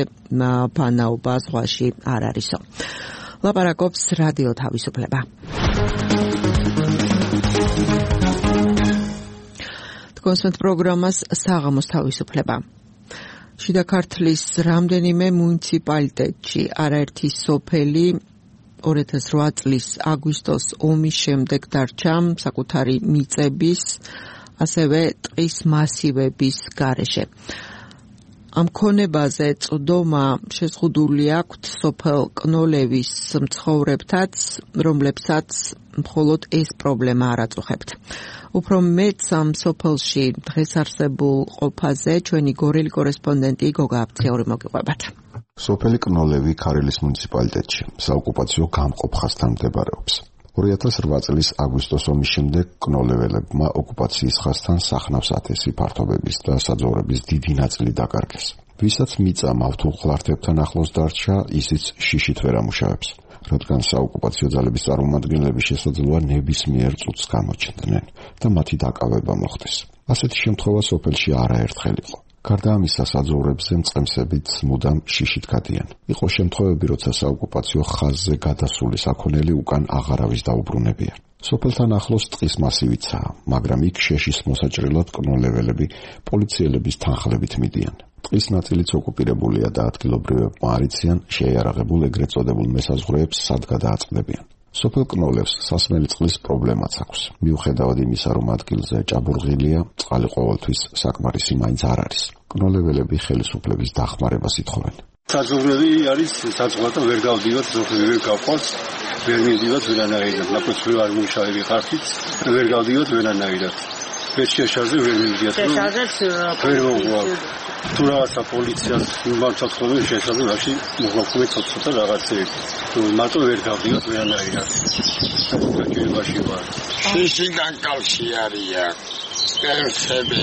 ბანაობა ზღვაში არ არისო. ლაპარაკობს რადიო თავისუფლება. კონსერტ პროგრამას საღამოს თავისუფლება. შიდა ქართლის რამდენიმე მუნიციპალიტეტში არაერთი სოფელი ორი ათას რვა წლის აგვისტოს ომის შემდეგ დარჩა საკუთარი მიწების, ასევე ტყის მასივების გარეშე. ამ ქონებაზე წვდომა შეზღუდული აქვთ სოფელ კნოლევის მცხოვრებთაც, რომლებსაც მხოლოდ ეს პრობლემა არ აწუხებთ. უფრო მეც ამ სოფელში დღეს არსებულ ყოფაზე ჩვენი გორელი კორესპონდენტი გოგა აფციური მოგიყვებათ. სოფელი კნოლევი ქარელის მუნიციპალიტეტში საოკუპაციო გამყოფხასთან მდებარეობს. ორი ათას რვა წლის აგვისტოს ომის შემდეგ კნოლეველებმა ოკუპაციის ხასთან სახნავს ათესი ფართობების და საძოვრების დიდი ნაწილი დაკარგეს. ვისაც მიწა მავთულ ხლართებთან ახლოს დარჩა, ისიც შიშით ვერ ამუშავებს, რადგან საოკუპაციო ძალების წარმომადგენლები შესაძლოა ნებისმიერ წუთს გამოჩნდნენ და მათი დაკავება მოხდეს. ასეთი შემთხვევა სოფელში არაერთხელ იყო. გარდა ამისა, საძოვრებზე მწყემსებით მუდამ შიშით გადიან. იყო შემთხვევები, როცა საოკუპაციო ხაზზე გადასული საქონელი უკან აღარავის დაუბრუნებია. სოფელთან ახლოს ტყის მასივიცაა, მაგრამ იქ შეშის მოსაჭრელად კნოლეველები პოლიციელების თანხლებით მიდიან. ტყის ნაწილიც ოკუპირებულია და ადგილობრივებმა არ იციან შეიარაღებულ ეგრეთ წოდებულ მესაზღვრეებს სად გადააწყდებიან. სოფელ კნოლევს სასმელი წყლის პრობლემაც აქვს. მიუხედავად იმისა, რომ ადგილზე ჭაბურღილია, წყალი ყოველთვის საკმარისი მაინც არ არის. კნოლეველები ხელისუფლების დახმარებას ითხოვენ. საძოვრები არის საწყოთა ვერ გავდივართ, ზოგი ვერ გავყავს, ვერ მივდივართ ვერანაირად. ნაკოც ვერ არ მუშაობი ხარხით, ვერ გავდივართ ვერანაირად. ვერ შეშარზე ვერ მივდივართ. შეშარზეც ვერ მოგვაქვს. თუ რაღაცა პოლიციას მიმართავთ ხოლმე შეშარზე რაში მოგვაქვს ცოტა რაღაცეები. თუ მარტო ვერ გავდივართ ვერანაირად. საკითხებაში ვარ. შიშიდან კალში არიან. ერთები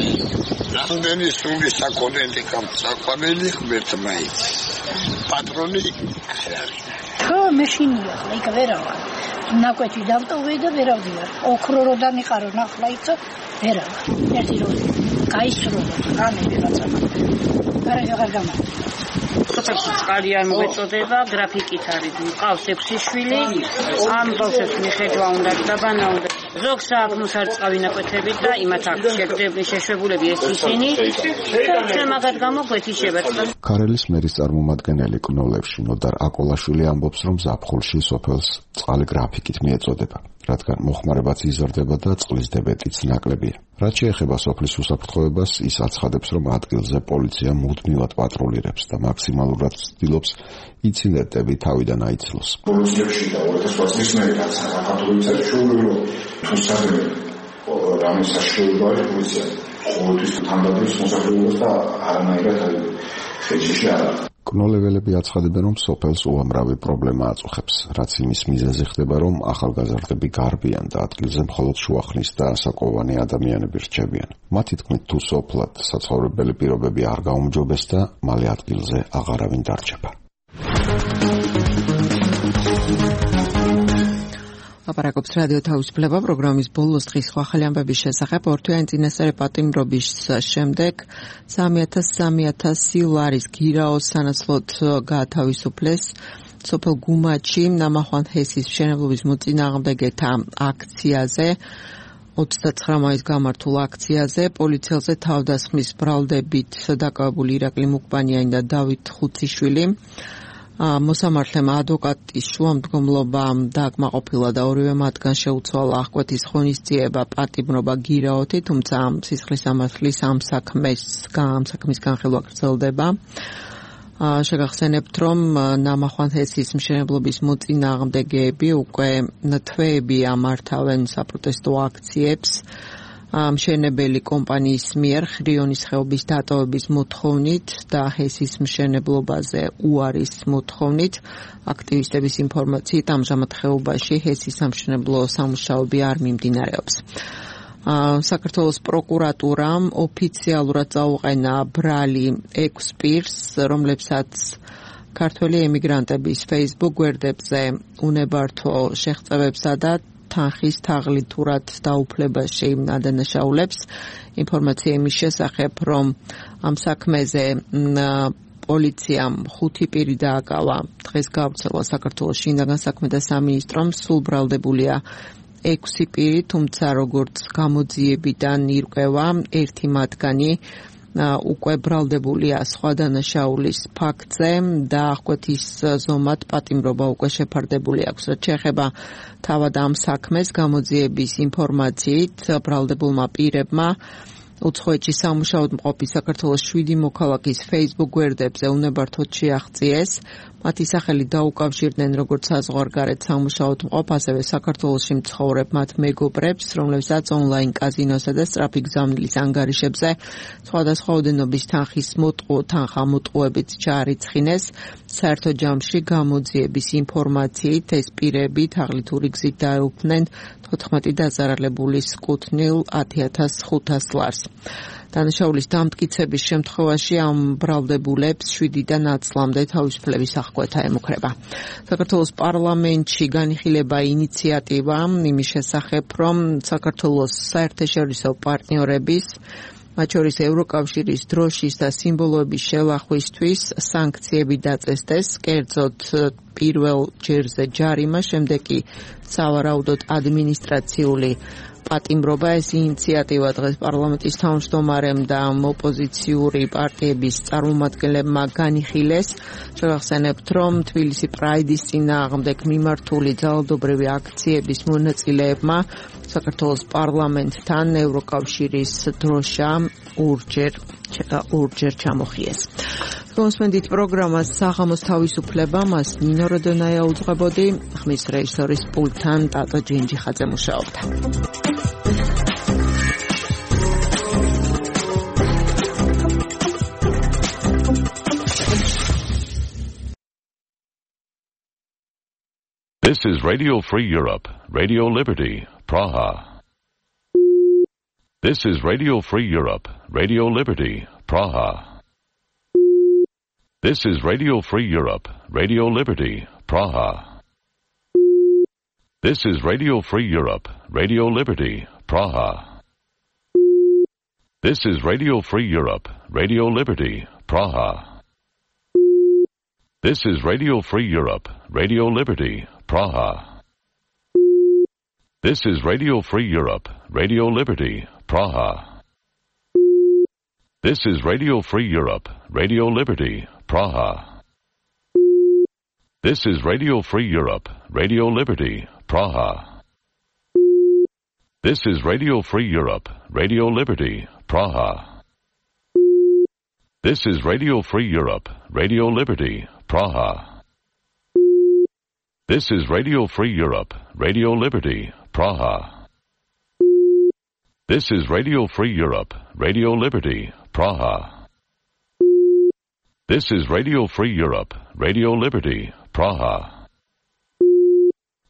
რამდენი სული საკონელი საკონელი ღმერთ მაიც პატრონი არ არის ხო მეშინია იქ ვერავა ნაკვეთი დავტოვე და ვერავდია ოქრო რო დამიყარო ნახლა იცო ვერავა ერთი რო გაისრო რამე ვიღაცა გარეგა არ გამა სოფელში წყალი არ მოეწოდება გრაფიკით არის მყავს ექვსი შვილი ამ ბავშვებს მიხედვა უნდა დაბანა უნდა ზოგს აქვს არ წყავი ნაკვეთებით და იმათ აქვს შეგდები შეშვებულები ეს ისინი და მაგათ გამოგვეთიშება. ქარელის მერის წარმომადგენელი კნოლევში ნოდარ აკოლაშვილი ამბობს, რომ ზაფხულში სოფელს წყალი გრაფიკით მიეწოდება, რადგან მოხმარებაც იზრდება და წყლის დებეტიც ნაკლებია. რაც შეეხება სოფლის უსაფრთხოებას, ის აცხადებს, რომ ადგილზე პოლიცია მუდმივად პატრულირებს და მაქსიმალურად ცდილობს ინციდენტები თავიდან აიცილოს. პოლიციებში და ორი ათას ოცი წლის მერე საქართველოს საჩუქრო თუსადები რამე საშუალება არის პოლიცია ყოველთვის თანდათვის მოსახლეობას და არანაირად ხელში არ არის. კნოლეველები აცხადებენ, რომ სოფელს უამრავი პრობლემა აწუხებს, რაც იმის მიზეზი ხდება, რომ ახალგაზრდები გარბიან და ადგილზე მხოლოდ შუახნის და საკოვანი ადამიანები რჩებიან. მათი თქმით, თუ სოფლად საცხოვრებელი პირობები არ გაუმჯობეს და მალე ადგილზე აღარავინ დარჩება. აპარაკობს რადიო თავისუფლება პროგრამის ბოლოს დღის სხვა ახალი ამბების შესახებ. ორთვიანი წინასწარი პატიმრობის შემდეგ სამი ათას სამი ათასი ლარის გირაოს სანაცვლოდ გაათავისუფლეს სოფელ გუმაჩი ნამახვან ჰესის მშენებლობის მოწინააღმდეგეთა აქციაზე. ოცდაცხრა მაისს გამართულ აქციაზე პოლიციელზე თავდასხმის ბრალდებით დაკავებული ირაკლი მუკბანიანი და დავით ხუციშვილი მოსამართლემ ადვოკატის შუამდგომლობა დააკმაყოფილა და ორივე მათგან შეუცვალა აღკვეთის ღონისძიება პატიმრობა გირაოთი, თუმცა სისხლის სამართლის ამ საქმეს ამ საქმის განხილვა გრძელდება. შეგახსენებთ, რომ ნამახვან ჰესის მშენებლობის მოწინააღმდეგეები უკვე თვეები ამართავენ საპროტესტო აქციებს მშენებელი კომპანიის მიერ ხრიონის ხეობის დატოვების მოთხოვნით და ჰესის მშენებლობაზე უარის მოთხოვნით. აქტივისტების ინფორმაციით ამჟამად ხეობაში ჰესის სამშენებლო სამუშაოები არ მიმდინარეობს. საქართველოს პროკურატურამ ოფიციალურად წაუყენა ბრალი ექვს პირს, რომლებსაც ქართველი ემიგრანტების Facebook გვერდებზე უნებართვო შეღწევებსა და თანხის თაღლითურად დაუფლებაში ადანაშაულებს. ინფორმაცია იმის შესახებ, რომ ამ საქმეზე პოლიციამ ხუთი პირი დააკავა. დღეს გავრცელა საქართველოს შინაგან საქმეთა სამინისტრომ, სულ ბრალდებულია ექვსი პირი, თუმცა როგორც გამოძიებიდან ირკვევა, ერთი მათგანი უკვე ბრალდებულია სხვა დანაშაულის ფაქტზე და აღკვეთის ზომად პატიმრობა უკვე შეფარდებული აქვს. რაც შეეხება თავად ამ საქმეს, გამოძიების ინფორმაციით ბრალდებულმა პირებმა უცხოეთში სამუშაოდ მყოფი საქართველოს შვიდი მოქალაქის Facebook გვერდებზე უნებართვოდ შეაღწიეს. მათი სახელი დაუკავშირდნენ როგორც საზღვარგარეთ სამუშაოდ მყოფ, ასევე საქართველოში მცხოვრებ მათ მეგობრებს, რომლებსაც ონლაინ კაზინოსა და სწრაფი გზავნილის ანგარიშებზე სხვადასხვა ოდენობის თანხის მოტყუ თანხა მოტყუებით ჩაარიცხინეს. საერთო ჯამში გამოძიების ინფორმაციით ეს პირები თაღლითური გზით დაეუფლნენ თოთხმეტი დაზარალებულის კუთვნილ ათი ათას ხუთას ლარს. დანაშაულის დამტკიცების შემთხვევაში ამ ბრალდებულებს შვიდიდან ათლამდე თავისუფლების აღკვეთა ემუქრება. საქართველოს პარლამენტში განიხილება ინიციატივა იმის შესახებ, რომ საქართველოს საერთაშორისო პარტნიორების, მათ შორის ევროკავშირის დროშის და სიმბოლოების შელახვისთვის სანქციები დაწესდეს, კერძოდ პირველ ჯერზე ჯარიმა, შემდეგ კი სავარაუდოდ ადმინისტრაციული პატიმრობა. ეს ინიციატივა დღეს პარლამენტის თავმჯდომარემ და ოპოზიციური პარტიების წარმომადგენლებმა განიხილეს. შევახსენებთ, რომ თბილისი პრაიდის წინააღმდეგ მიმართული ძალადობრივი აქციების მონაწილეებმა საქართველოს პარლამენტთან ევროკავშირის დროშა ორჯერ ორჯერ ჩამოხიეს. გოსმენდით პროგრამას საღამოს თავისუფლება, მას ნინო როდონაია უძღვებოდი, ხმის რეჟისორის პულტთან ტატო ჯინჯიხაძე მუშაობდა. This is Radio Free Europe, Radio Liberty, Praha. This is Radio Free Europe, Radio Liberty, Praha. This is Radio Free Europe, Radio Liberty, Praha. This is Radio Free Europe, Radio Liberty, Praha. This is Radio Free Europe, Radio Liberty, Praha. This is Radio Free Europe, Radio Liberty, Praha. This is Radio Free Europe, Radio Liberty, Praha. This is Radio Free Europe, Radio Liberty, Praha. This is Radio Free Europe, Radio Liberty, Praha. This is Radio Free Europe, Radio Liberty, Praha. This is Radio Free Europe, Radio Liberty, Praha. This is Radio Free Europe, Radio Liberty, Praha. This is Radio Free Europe, Radio Liberty, Praha. This is Radio Free Europe, Radio Liberty, Praha.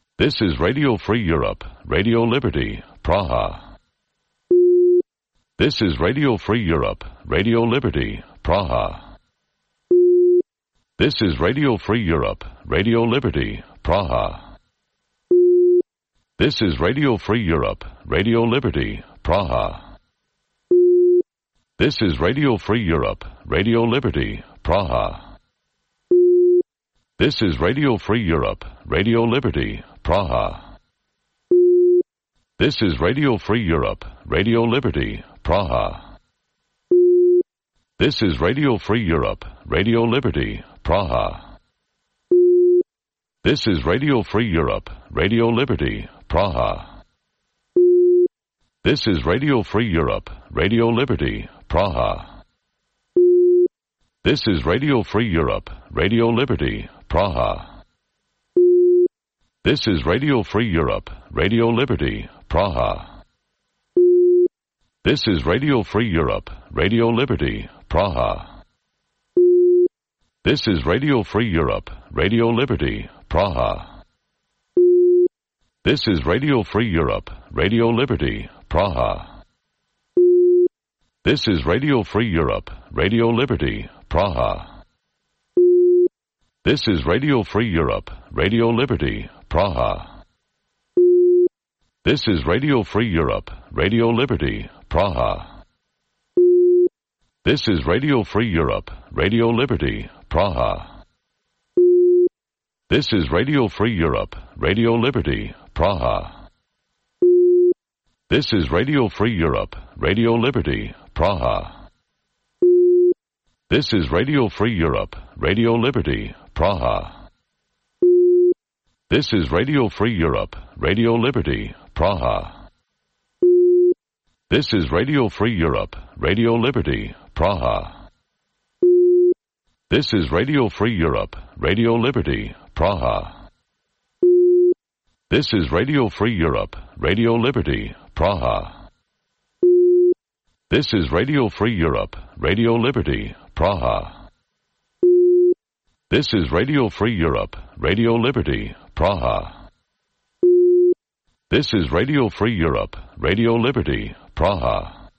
This is Radio Free Europe, Radio Liberty, Praha. This is Radio Free Europe, Radio Liberty, Praha. This is Radio Free Europe, Radio Liberty, Praha. This is Radio Free Europe, Radio Liberty, Praha. This is Radio Free Europe, Radio Liberty, Praha. This is Radio Free Europe, Radio Liberty, Praha. This is Radio Free Europe, Radio Liberty, Praha. This is Radio Free Europe, Radio Liberty, Praha. This is Radio Free Europe, Radio Liberty, Praha. This is Radio Free Europe, Radio Liberty, Praha. This is Radio Free Europe, Radio Liberty, Praha. This is Radio Free Europe, Radio Liberty, Praha. This is Radio Free Europe, Radio Liberty, Praha. This is Radio Free Europe, Radio Liberty, Praha. This is Radio Free Europe, Radio Liberty, Praha. This is Radio Free Europe, Radio Liberty, Praha. This is Radio Free Europe, Radio Liberty, Praha. This is Radio Free Europe, Radio Liberty, Praha. This is Radio Free Europe, Radio Liberty, Praha. This is Radio Free Europe, Radio Liberty, Praha. This is Radio Free Europe, Radio Liberty, Praha. This is Radio Free Europe, Radio Liberty, Praha. This is Radio Free Europe, Radio Liberty, Praha. This is Radio Free Europe, Radio Liberty, Praha. This is Radio Free Europe, Radio Liberty, Praha. This is Radio Free Europe, Radio Liberty, Praha. This is Radio Free Europe, Radio Liberty, Praha. This is Radio Free Europe, Radio Liberty, Praha. This is Radio Free Europe, Radio Liberty, Praha.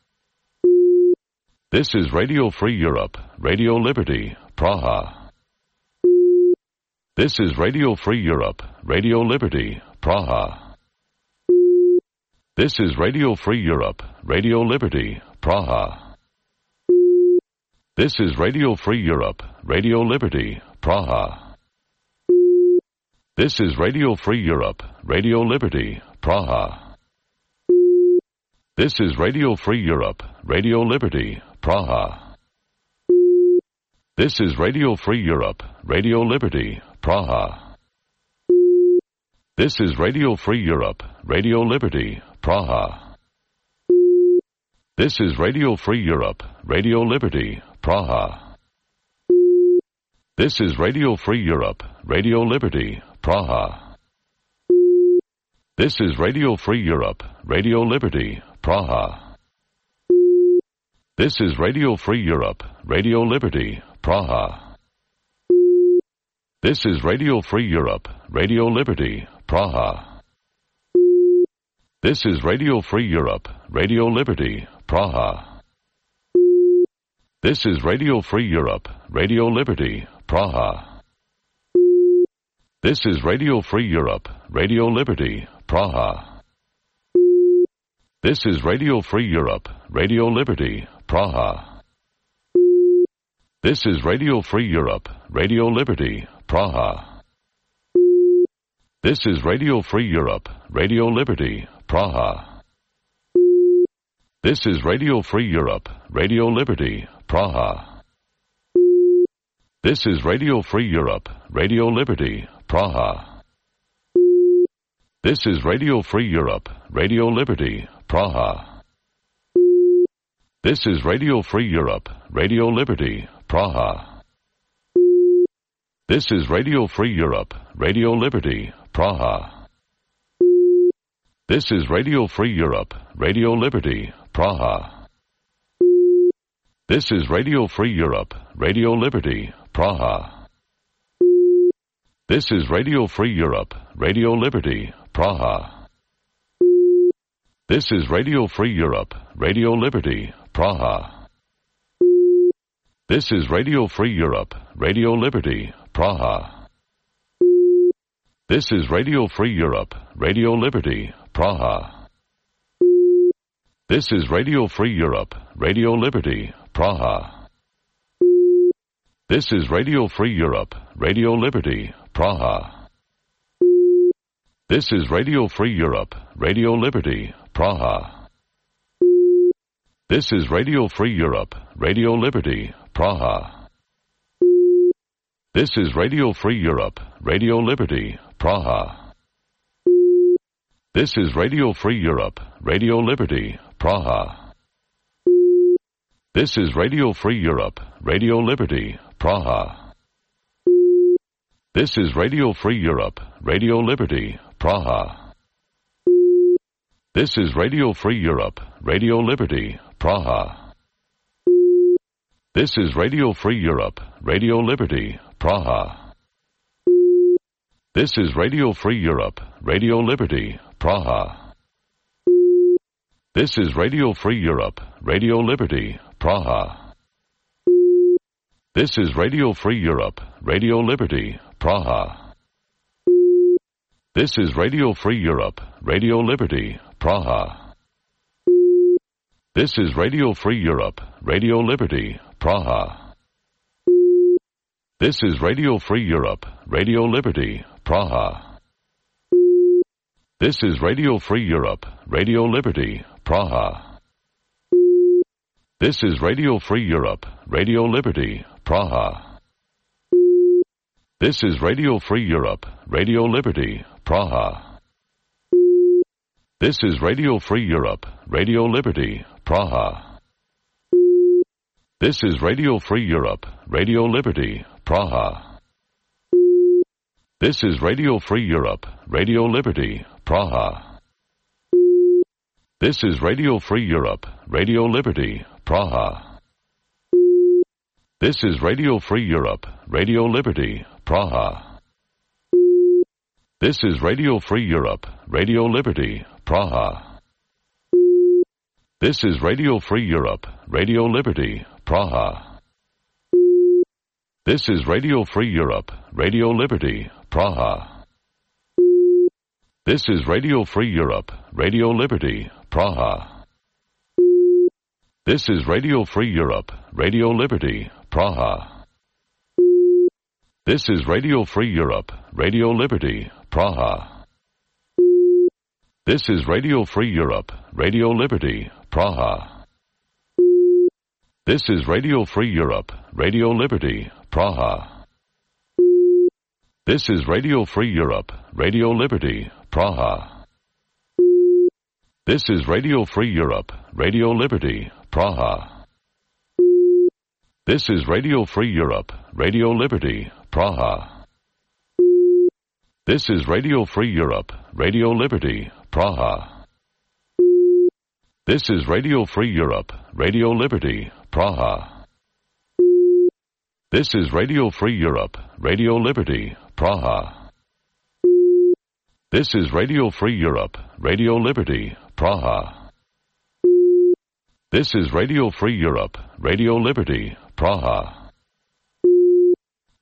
This is Radio Free Europe, Radio Liberty, Praha. This is Radio Free Europe, Radio Liberty, Praha. This is Radio Free Europe, Radio Liberty, Praha. This is Radio Free Europe, Radio Liberty, Praha. This is Radio Free Europe, Radio Liberty, Praha. This is Radio Free Europe, Radio Liberty, Praha. This is Radio Free Europe, Radio Liberty, Praha. This is Radio Free Europe, Radio Liberty, Praha. This is Radio Free Europe, Radio Liberty, Praha. This is Radio Free Europe, Radio Liberty, Praha. This is Radio Free Europe, Radio Liberty, Praha. This is Radio Free Europe, Radio Liberty, Praha. This is Radio Free Europe, Radio Liberty, Praha. This is Radio Free Europe, Radio Liberty, Praha. This is Radio Free Europe, Radio Liberty, Praha. This is Radio Free Europe, Radio Liberty, Praha. This is Radio Free Europe, Radio Liberty, Praha. This is Radio Free Europe, Radio Liberty, Praha. This is Radio Free Europe, Radio Liberty, Praha. This is Radio Free Europe, Radio Liberty, Praha. This is Radio Free Europe, Radio Liberty, Praha. This is Radio Free Europe, Radio Liberty, Praha. This is Radio Free Europe, Radio Liberty, Praha. This is Radio Free Europe, Radio Liberty, Praha. This is Radio Free Europe, Radio Liberty, Praha. This is Radio Free Europe, Radio Liberty, Praha. This is Radio Free Europe, Radio Liberty, Praha. This is Radio Free Europe, Radio Liberty, Praha. This is Radio Free Europe, Radio Liberty, Praha. This is Radio Free Europe, Radio Liberty, Praha. This is Radio Free Europe, Radio Liberty, Praha. This is Radio Free Europe, Radio Liberty, Praha. This is Radio Free Europe, Radio Liberty, Praha. This is Radio Free Europe, Radio Liberty, Praha. This is Radio Free Europe, Radio Liberty, Praha. This is Radio Free Europe, Radio Liberty, Praha. This is Radio Free Europe, Radio Liberty, Praha. This is Radio Free Europe, Radio Liberty, Praha. This is Radio Free Europe, Radio Liberty, Praha. This is Radio Free Europe, Radio Liberty, Praha. This is Radio Free Europe, Radio Liberty, Praha. This is Radio Free Europe, Radio Liberty, Praha. This is Radio Free Europe, Radio Liberty, Praha. This is Radio Free Europe, Radio Liberty, Praha. This is Radio Free Europe, Radio Liberty, Praha. This is Radio Free Europe, Radio Liberty, Praha. This is Radio Free Europe, Radio Liberty, Praha. This is Radio Free Europe, Radio Liberty, Praha. This is Radio Free Europe, Radio Liberty, Praha. This is Radio Free Europe, Radio Liberty, Praha. This is Radio Free Europe, Radio Liberty, Praha. This is Radio Free Europe, Radio Liberty, Praha. This is Radio Free Europe, Radio Liberty, Praha. This is Radio Free Europe, Radio Liberty, Praha. This is Radio Free Europe, Radio Liberty, Praha. This is Radio Free Europe, Radio Liberty, Praha. This is Radio Free Europe, Radio Liberty, Praha. This is Radio Free Europe, Radio Liberty, Praha. This is Radio Free Europe, Radio Liberty, Praha. This is Radio Free Europe, Radio Liberty, Praha. This is Radio Free Europe, Radio Liberty, Praha. This is Radio Free Europe, Radio Liberty, Praha. This is Radio Free Europe, Radio Liberty, Praha. This is Radio Free Europe, Radio Liberty, Praha. This is Radio Free Europe, Radio Liberty, Praha. This is Radio Free Europe, Radio Liberty, Praha. This is Radio Free Europe, Radio Liberty, Praha. This is Radio Free Europe, Radio Liberty, Praha. This is Radio Free Europe, Radio Liberty, Praha. This is Radio Free Europe, Radio Liberty, Praha.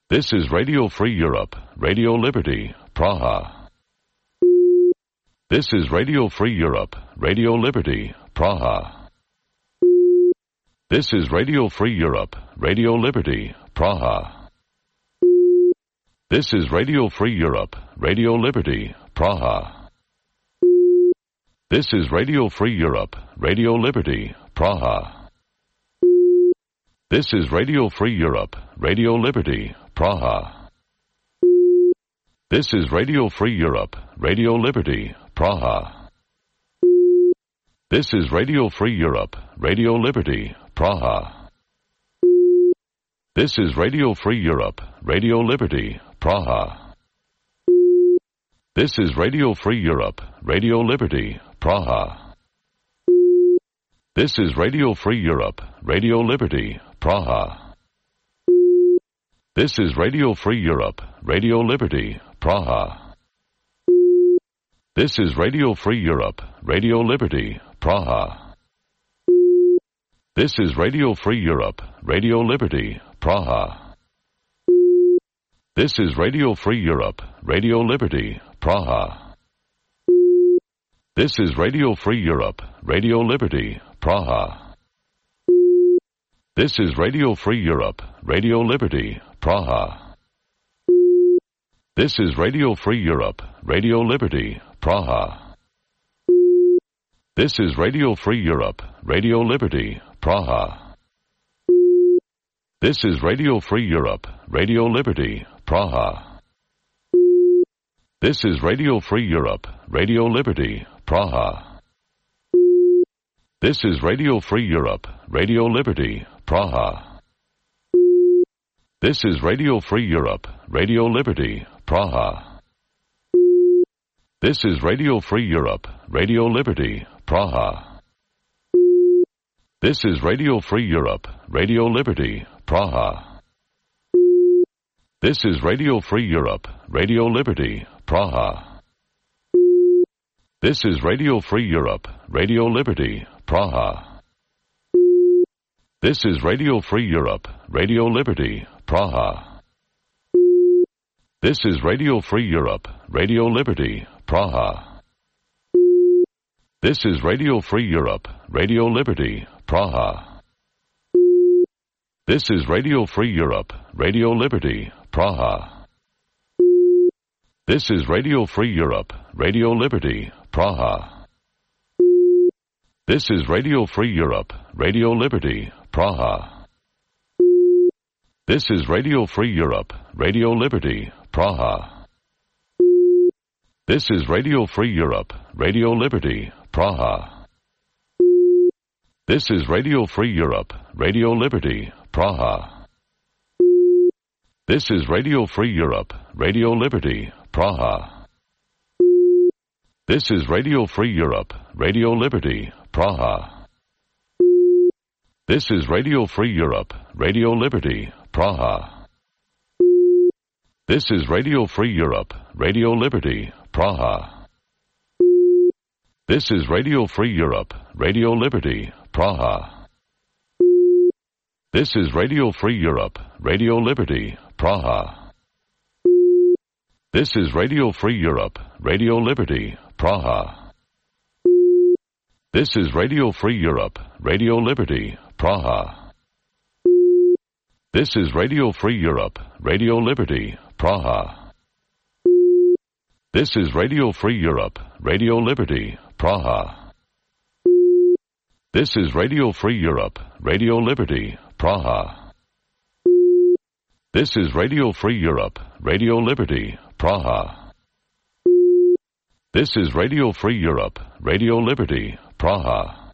This is Radio Free Europe, Radio Liberty, Praha. This is Radio Free Europe, Radio Liberty, Praha. This is Radio Free Europe, Radio Liberty, Praha. This is Radio Free Europe, Radio Liberty, Praha. This is Radio Free Europe, Radio Liberty, Praha. This is Radio Free Europe, Radio Liberty, Praha. This is Radio Free Europe, Radio Liberty, Praha. This is Radio Free Europe, Radio Liberty, Praha. This is Radio Free Europe, Radio Liberty, Praha. This is Radio Free Europe, Radio Liberty, Praha. This is Radio Free Europe, Radio Liberty, Praha. This is Radio Free Europe, Radio Liberty, Praha. This is Radio Free Europe, Radio Liberty, Praha. This is Radio Free Europe, Radio Liberty, Praha. This is Radio Free Europe, Radio Liberty, Praha. This is Radio Free Europe, Radio Liberty, Praha. This is Radio Free Europe, Radio Liberty, Praha. This is Radio Free Europe, Radio Liberty, Praha. This is Radio Free Europe, Radio Liberty, Praha. This is Radio Free Europe, Radio Liberty, Praha. This is Radio Free Europe, Radio Liberty, Praha. This is Radio Free Europe, Radio Liberty, Praha. This is Radio Free Europe, Radio Liberty, Praha. This is Radio Free Europe, Radio Liberty, Praha. This is Radio Free Europe, Radio Liberty, Praha. This is Radio Free Europe, Radio Liberty, Praha. This is Radio Free Europe, Radio Liberty, Praha. This is Radio Free Europe, Radio Liberty, Praha. This is Radio Free Europe, Radio Liberty, Praha. This is Radio Free Europe, Radio Liberty, Praha. This is Radio Free Europe, Radio Liberty, Praha. This is Radio Free Europe, Radio Liberty, Praha. This is Radio Free Europe, Radio Liberty, Praha. This is Radio Free Europe, Radio Liberty, Praha. This is Radio Free Europe, Radio Liberty, Praha. This is Radio Free Europe, Radio Liberty, Praha. This is Radio Free Europe, Radio Liberty, Praha. This is Radio Free Europe, Radio Liberty, Praha. This is Radio Free Europe, Radio Liberty, Praha. This is Radio Free Europe, Radio Liberty, Praha. This is Radio Free Europe, Radio Liberty, Praha. This is Radio Free Europe, Radio Liberty, Praha. This is Radio Free Europe, Radio Liberty, Praha. This is Radio Free Europe, Radio Liberty, Praha. This is Radio Free Europe, Radio Liberty, Praha. This is Radio Free Europe, Radio Liberty, Praha. This is Radio Free Europe, Radio Liberty, Praha. This is Radio Free Europe, Radio Liberty, Praha. This is Radio Free Europe, Radio Liberty, Praha.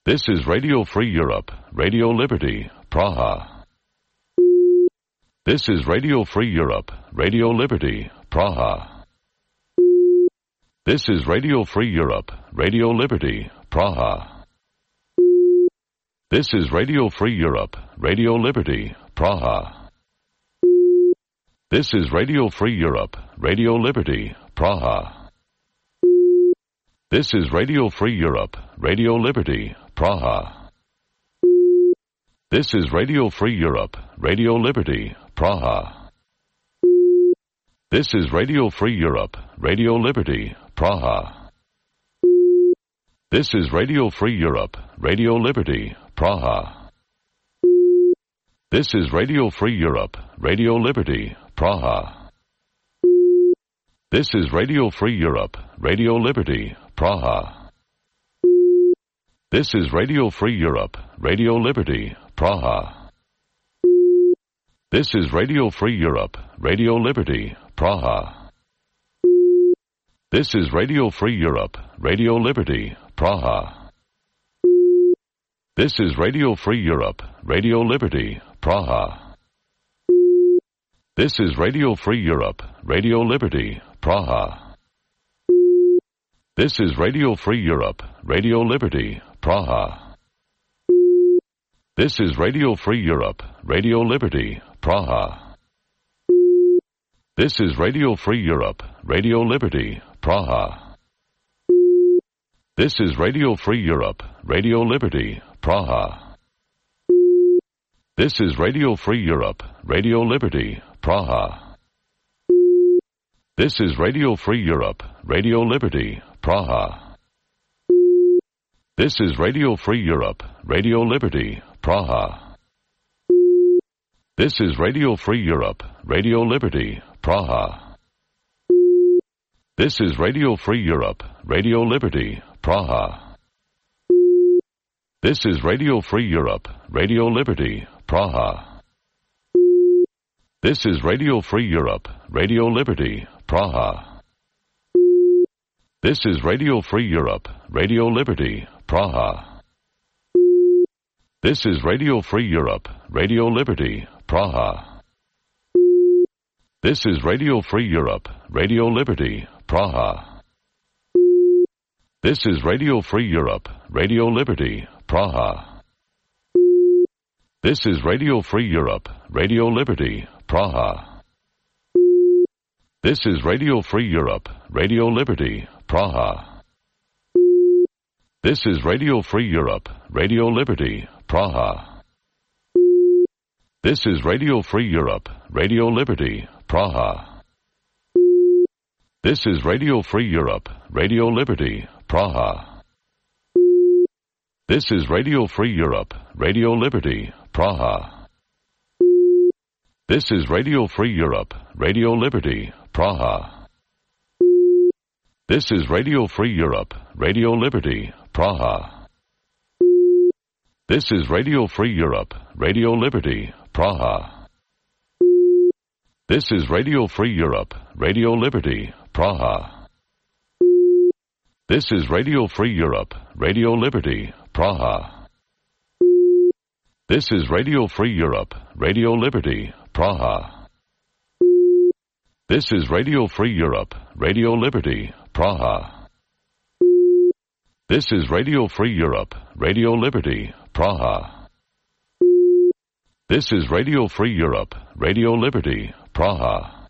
This is Radio Free Europe, Radio Liberty, Praha. This is Radio Free Europe, Radio Liberty, Praha. This is Radio Free Europe, Radio Liberty, Praha. This is Radio Free Europe, Radio Liberty, Praha. This is Radio Free Europe, Radio Liberty, Praha. This is Radio Free Europe, Radio Liberty, Praha. This is Radio Free Europe, Radio Liberty, Praha. This is Radio Free Europe, Radio Liberty, Praha. This is Radio Free Europe, Radio Liberty, Praha. This is Radio Free Europe, Radio Liberty, Praha. This is Radio Free Europe, Radio Liberty, Praha. This is Radio Free Europe, Radio Liberty, Praha. This is Radio Free Europe, Radio Liberty, Praha. This is Radio Free Europe, Radio Liberty, Praha. This is Radio Free Europe, Radio Liberty, Praha. This is Radio Free Europe, Radio Liberty, Praha. This is Radio Free Europe, Radio Liberty, Praha. This is Radio Free Europe, Radio Liberty, Praha. This is Radio Free Europe, Radio Liberty, Praha. This is Radio Free Europe, Radio Liberty, Praha. This is Radio Free Europe, Radio Liberty, Praha. This is Radio Free Europe, Radio Liberty, Praha. This is Radio Free Europe, Radio Liberty, Praha. This is Radio Free Europe, Radio Liberty, Praha. This is Radio Free Europe, Radio Liberty, Praha. This is Radio Free Europe, Radio Liberty, Praha. This is Radio Free Europe, Radio Liberty, Praha. This is Radio Free Europe, Radio Liberty, Praha. This is Radio Free Europe, Radio Liberty, Praha. This is Radio Free Europe, Radio Liberty, Praha. This is Radio Free Europe, Radio Liberty, Praha. This is Radio Free Europe, Radio Liberty, Praha. This is Radio Free Europe, Radio Liberty, Praha. This is Radio Free Europe, Radio Liberty, Praha. This is Radio Free Europe, Radio Liberty, Praha. This is Radio Free Europe, Radio Liberty, Praha. This is Radio Free Europe, Radio Liberty, Praha. This is Radio Free Europe, Radio Liberty, Praha. This is Radio Free Europe, Radio Liberty, Praha. This is Radio Free Europe, Radio Liberty, Praha. This is Radio Free Europe, Radio Liberty, Praha. This is Radio Free Europe, Radio Liberty, Praha. This is Radio Free Europe, Radio Liberty, Praha. This is Radio Free Europe, Radio Liberty, Praha. This is Radio Free Europe, Radio Liberty, Praha. This is Radio Free Europe, Radio Liberty, Praha.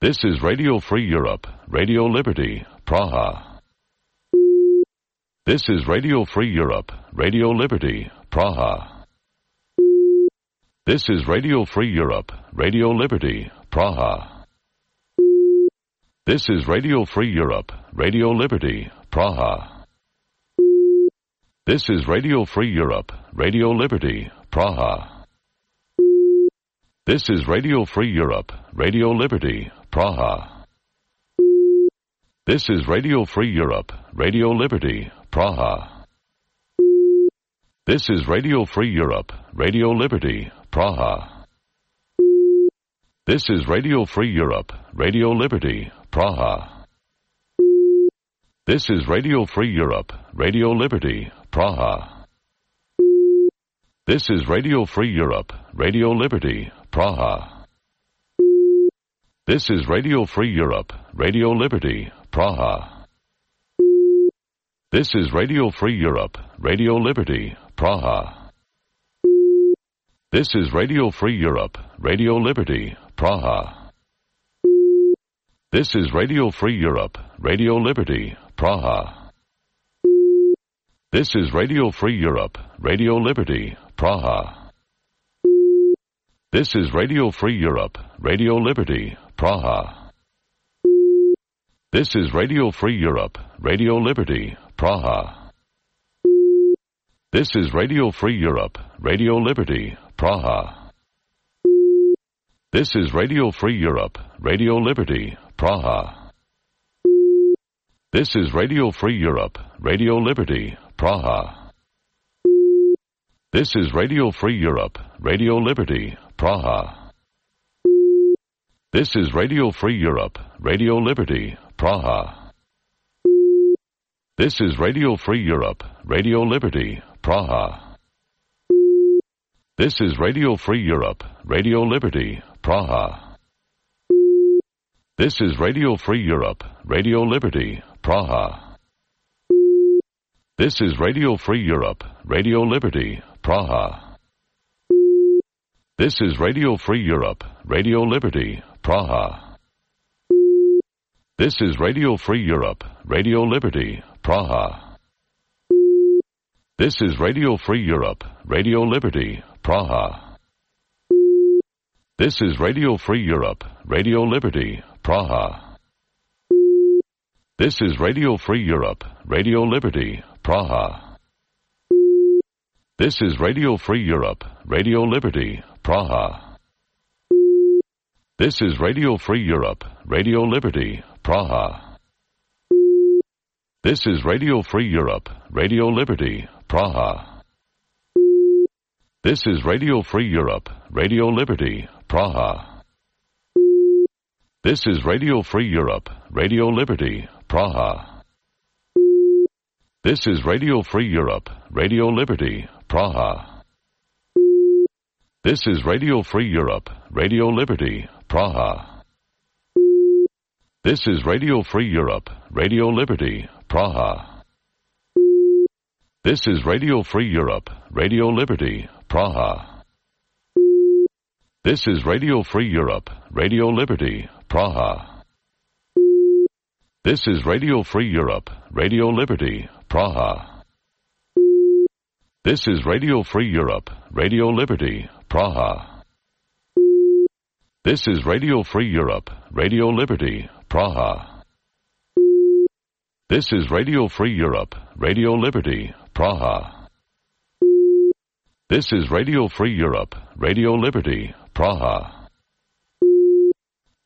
This is Radio Free Europe, Radio Liberty, Praha. This is Radio Free Europe, Radio Liberty, Praha. This is Radio Free Europe, Radio Liberty, Praha. This is Radio Free Europe, Radio Liberty, Praha. This is Radio Free Europe, Radio Liberty, Praha. This is Radio Free Europe, Radio Liberty, Praha. This is Radio Free Europe, Radio Liberty, Praha. This is Radio Free Europe, Radio Liberty, Praha. This is Radio Free Europe, Radio Liberty, Praha. This is Radio Free Europe, Radio Liberty, Praha. This is Radio Free Europe, Radio Liberty, Praha. This is Radio Free Europe, Radio Liberty, Praha. This is Radio Free Europe, Radio Liberty, Praha. This is Radio Free Europe, Radio Liberty, Praha. This is Radio Free Europe, Radio Liberty, Praha. This is Radio Free Europe, Radio Liberty, Praha. This is Radio Free Europe, Radio Liberty, Praha. This is Radio Free Europe, Radio Liberty, Praha. This is Radio Free Europe, Radio Liberty, Praha. This is Radio Free Europe, Radio Liberty, Praha. This is Radio Free Europe, Radio Liberty, Praha. This is Radio Free Europe, Radio Liberty, Praha. This is Radio Free Europe, Radio Liberty, Praha. This is Radio Free Europe, Radio Liberty, Praha. This is Radio Free Europe, Radio Liberty, Praha. This is Radio Free Europe, Radio Liberty, Praha. This is Radio Free Europe, Radio Liberty, Praha. This is Radio Free Europe, Radio Liberty, Praha. This is Radio Free Europe, Radio Liberty, Praha. This is Radio Free Europe, Radio Liberty, Praha. This is Radio Free Europe, Radio Liberty, Praha. This is Radio Free Europe, Radio Liberty, Praha. This is Radio Free Europe, Radio Liberty, Praha. This is Radio Free Europe, Radio Liberty, Praha. This is Radio Free Europe, Radio Liberty, Praha. This is Radio Free Europe, Radio Liberty, Praha. This is Radio Free Europe, Radio Liberty, Praha. This is Radio Free Europe, Radio Liberty, Praha. This is Radio Free Europe, Radio Liberty, Praha. This is Radio Free Europe, Radio Liberty, Praha. This is Radio Free Europe, Radio Liberty, Praha. This is Radio Free Europe, Radio Liberty, Praha. This is Radio Free Europe, Radio Liberty, Praha. This is Radio Free Europe, Radio Liberty, Praha. This is Radio Free Europe, Radio Liberty, Praha. This is Radio Free Europe, Radio Liberty, Praha. This is Radio Free Europe, Radio Liberty, Praha.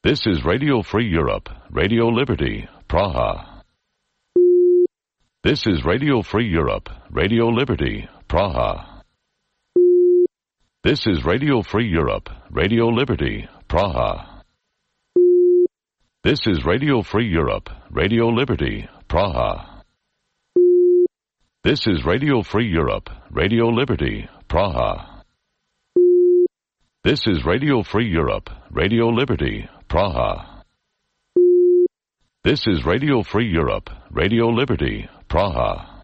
This is Radio Free Europe, Radio Liberty, Praha. This is Radio Free Europe, Radio Liberty, Praha. This is Radio Free Europe, Radio Liberty, Praha. This is Radio Free Europe, Radio Liberty, Praha. This is Radio Free Europe, Radio Liberty, Praha. This is Radio Free Europe, Radio Liberty, Praha. This is Radio Free Europe, Radio Liberty, Praha.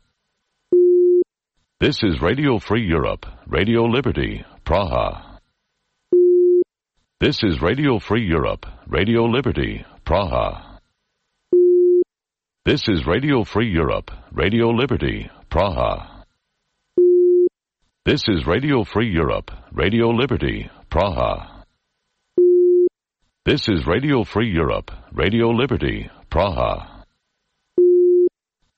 This is Radio Free Europe, Radio Liberty, Praha. This is Radio Free Europe, Radio Liberty, Praha. This is Radio Free Europe, Radio Liberty, Praha. This is Radio Free Europe, Radio Liberty, Praha. This is Radio Free Europe, Radio Liberty, Praha.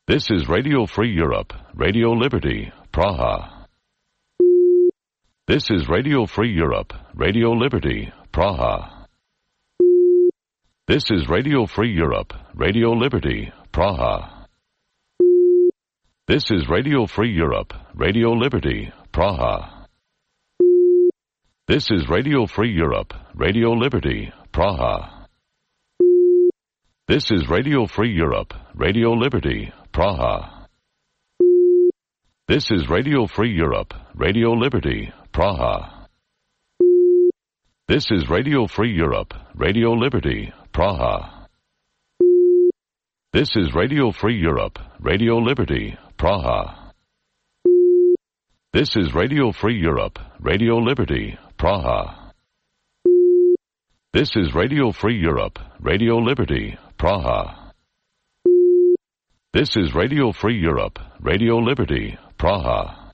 This is Radio Free Europe, Radio Liberty, Praha. This is Radio Free Europe, Radio Liberty, Praha. This is Radio Free Europe, Radio Liberty, Praha. This is Radio Free Europe, Radio Liberty, Praha. This is Radio Free Europe, Radio Liberty, Praha. This is Radio Free Europe, Radio Liberty, Praha. This is Radio Free Europe, Radio Liberty, Praha. This is Radio Free Europe, Radio Liberty, Praha. This is Radio Free Europe, Radio Liberty, Praha. This is Radio Free Europe, Radio Liberty, Praha. This is Radio Free Europe, Radio Liberty, Praha. This is Radio Free Europe, Radio Liberty, Praha.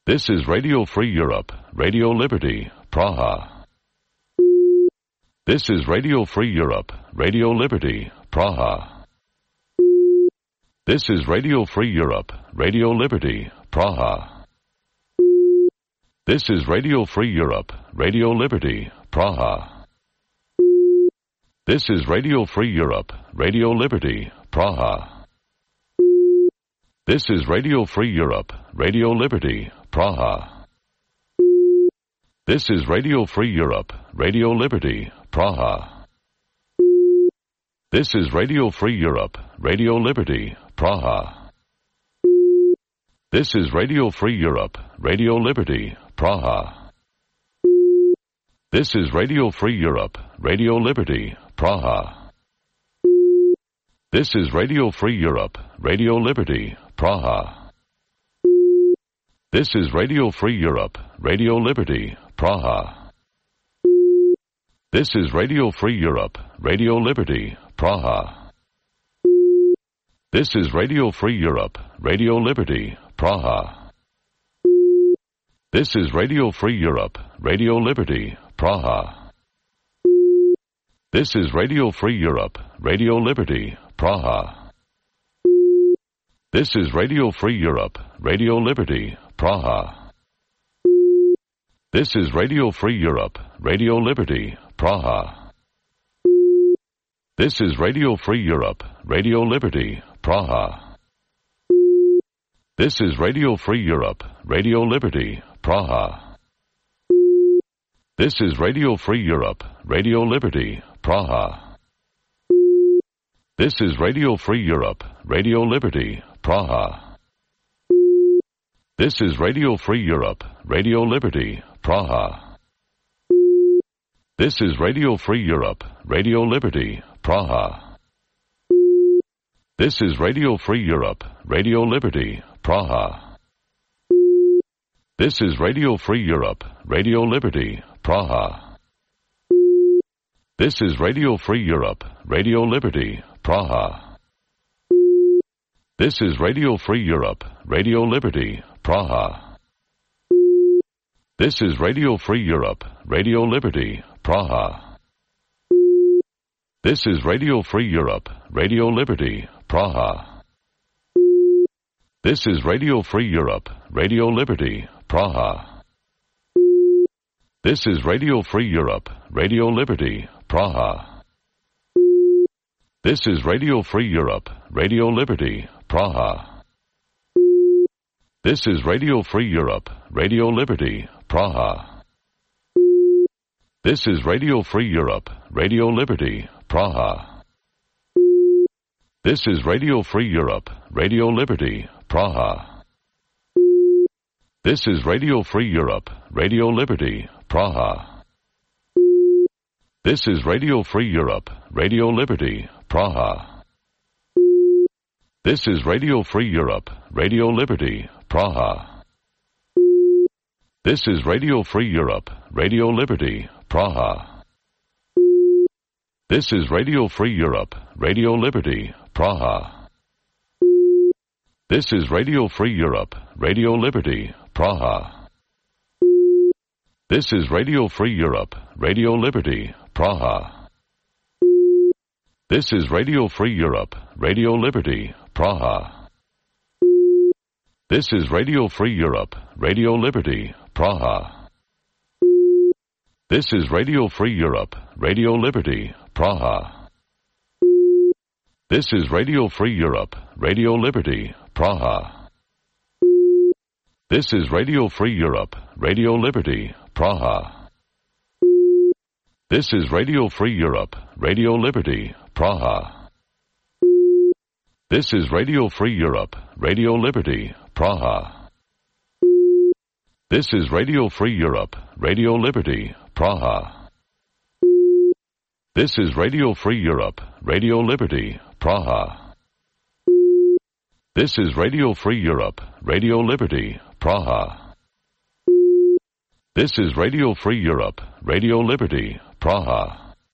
This is Radio Free Europe, Radio Liberty, Praha. This is Radio Free Europe, Radio Liberty, Praha. This is Radio Free Europe, Radio Liberty, Praha. This is Radio Free Europe, Radio Liberty, Praha. This is Radio Free Europe, Radio Liberty, Praha. This is Radio Free Europe, Radio Liberty, Praha. This is Radio Free Europe, Radio Liberty, Praha. This is Radio Free Europe, Radio Liberty, Praha. This is Radio Free Europe, Radio Liberty, Praha. This is Radio Free Europe, Radio Liberty, Praha. This is Radio Free Europe, Radio Liberty, Praha. This is Radio Free Europe, Radio Liberty, Praha. This is Radio Free Europe, Radio Liberty, Praha. This is Radio Free Europe, Radio Liberty, Praha. This is Radio Free Europe, Radio Liberty, Praha. This is Radio Free Europe, Radio Liberty, Praha. This is Radio Free Europe, Radio Liberty, Praha. This is Radio Free Europe, Radio Liberty, Praha. This is Radio Free Europe, Radio Liberty, Praha. This is Radio Free Europe, Radio Liberty, Praha. This is Radio Free Europe, Radio Liberty, Praha. This is Radio Free Europe, Radio Liberty, Praha. This is Radio Free Europe, Radio Liberty, Praha. This is Radio Free Europe, Radio Liberty, Praha. This is Radio Free Europe, Radio Liberty, Praha. This is Radio Free Europe, Radio Liberty, Praha. This is Radio Free Europe, Radio Liberty, Praha. This is Radio Free Europe, Radio Liberty, Praha. This is Radio Free Europe, Radio Liberty, Praha. This is Radio Free Europe, Radio Liberty, Praha. This is Radio Free Europe, Radio Liberty, Praha. This is Radio Free Europe, Radio Liberty, Praha. This is Radio Free Europe, Radio Liberty, Praha. This is Radio Free Europe, Radio Liberty, Praha. This is Radio Free Europe, Radio Liberty, Praha. This is Radio Free Europe, Radio Liberty, Praha. This is Radio Free Europe, Radio Liberty, Praha. This is Radio Free Europe, Radio Liberty, Praha. This is Radio Free Europe, Radio Liberty, Praha. This is Radio Free Europe, Radio Liberty, Praha. This is Radio Free Europe, Radio Liberty, Praha. This is Radio Free Europe, Radio Liberty, Praha. This is Radio Free Europe, Radio Liberty, Praha. This is Radio Free Europe, Radio Liberty, Praha. This is Radio Free Europe, Radio Liberty, Praha. This is Radio Free Europe, Radio Liberty, Praha. This is Radio Free Europe, Radio Liberty, Praha. This is Radio Free Europe, Radio Liberty, Praha. This is Radio Free Europe, Radio Liberty, Praha. This is Radio Free Europe, Radio Liberty, Praha. This is Radio Free Europe, Radio Liberty, Praha. This is Radio Free Europe, Radio Liberty, Praha. This is Radio Free Europe, Radio Liberty, Praha. This is Radio Free Europe, Radio Liberty, Praha.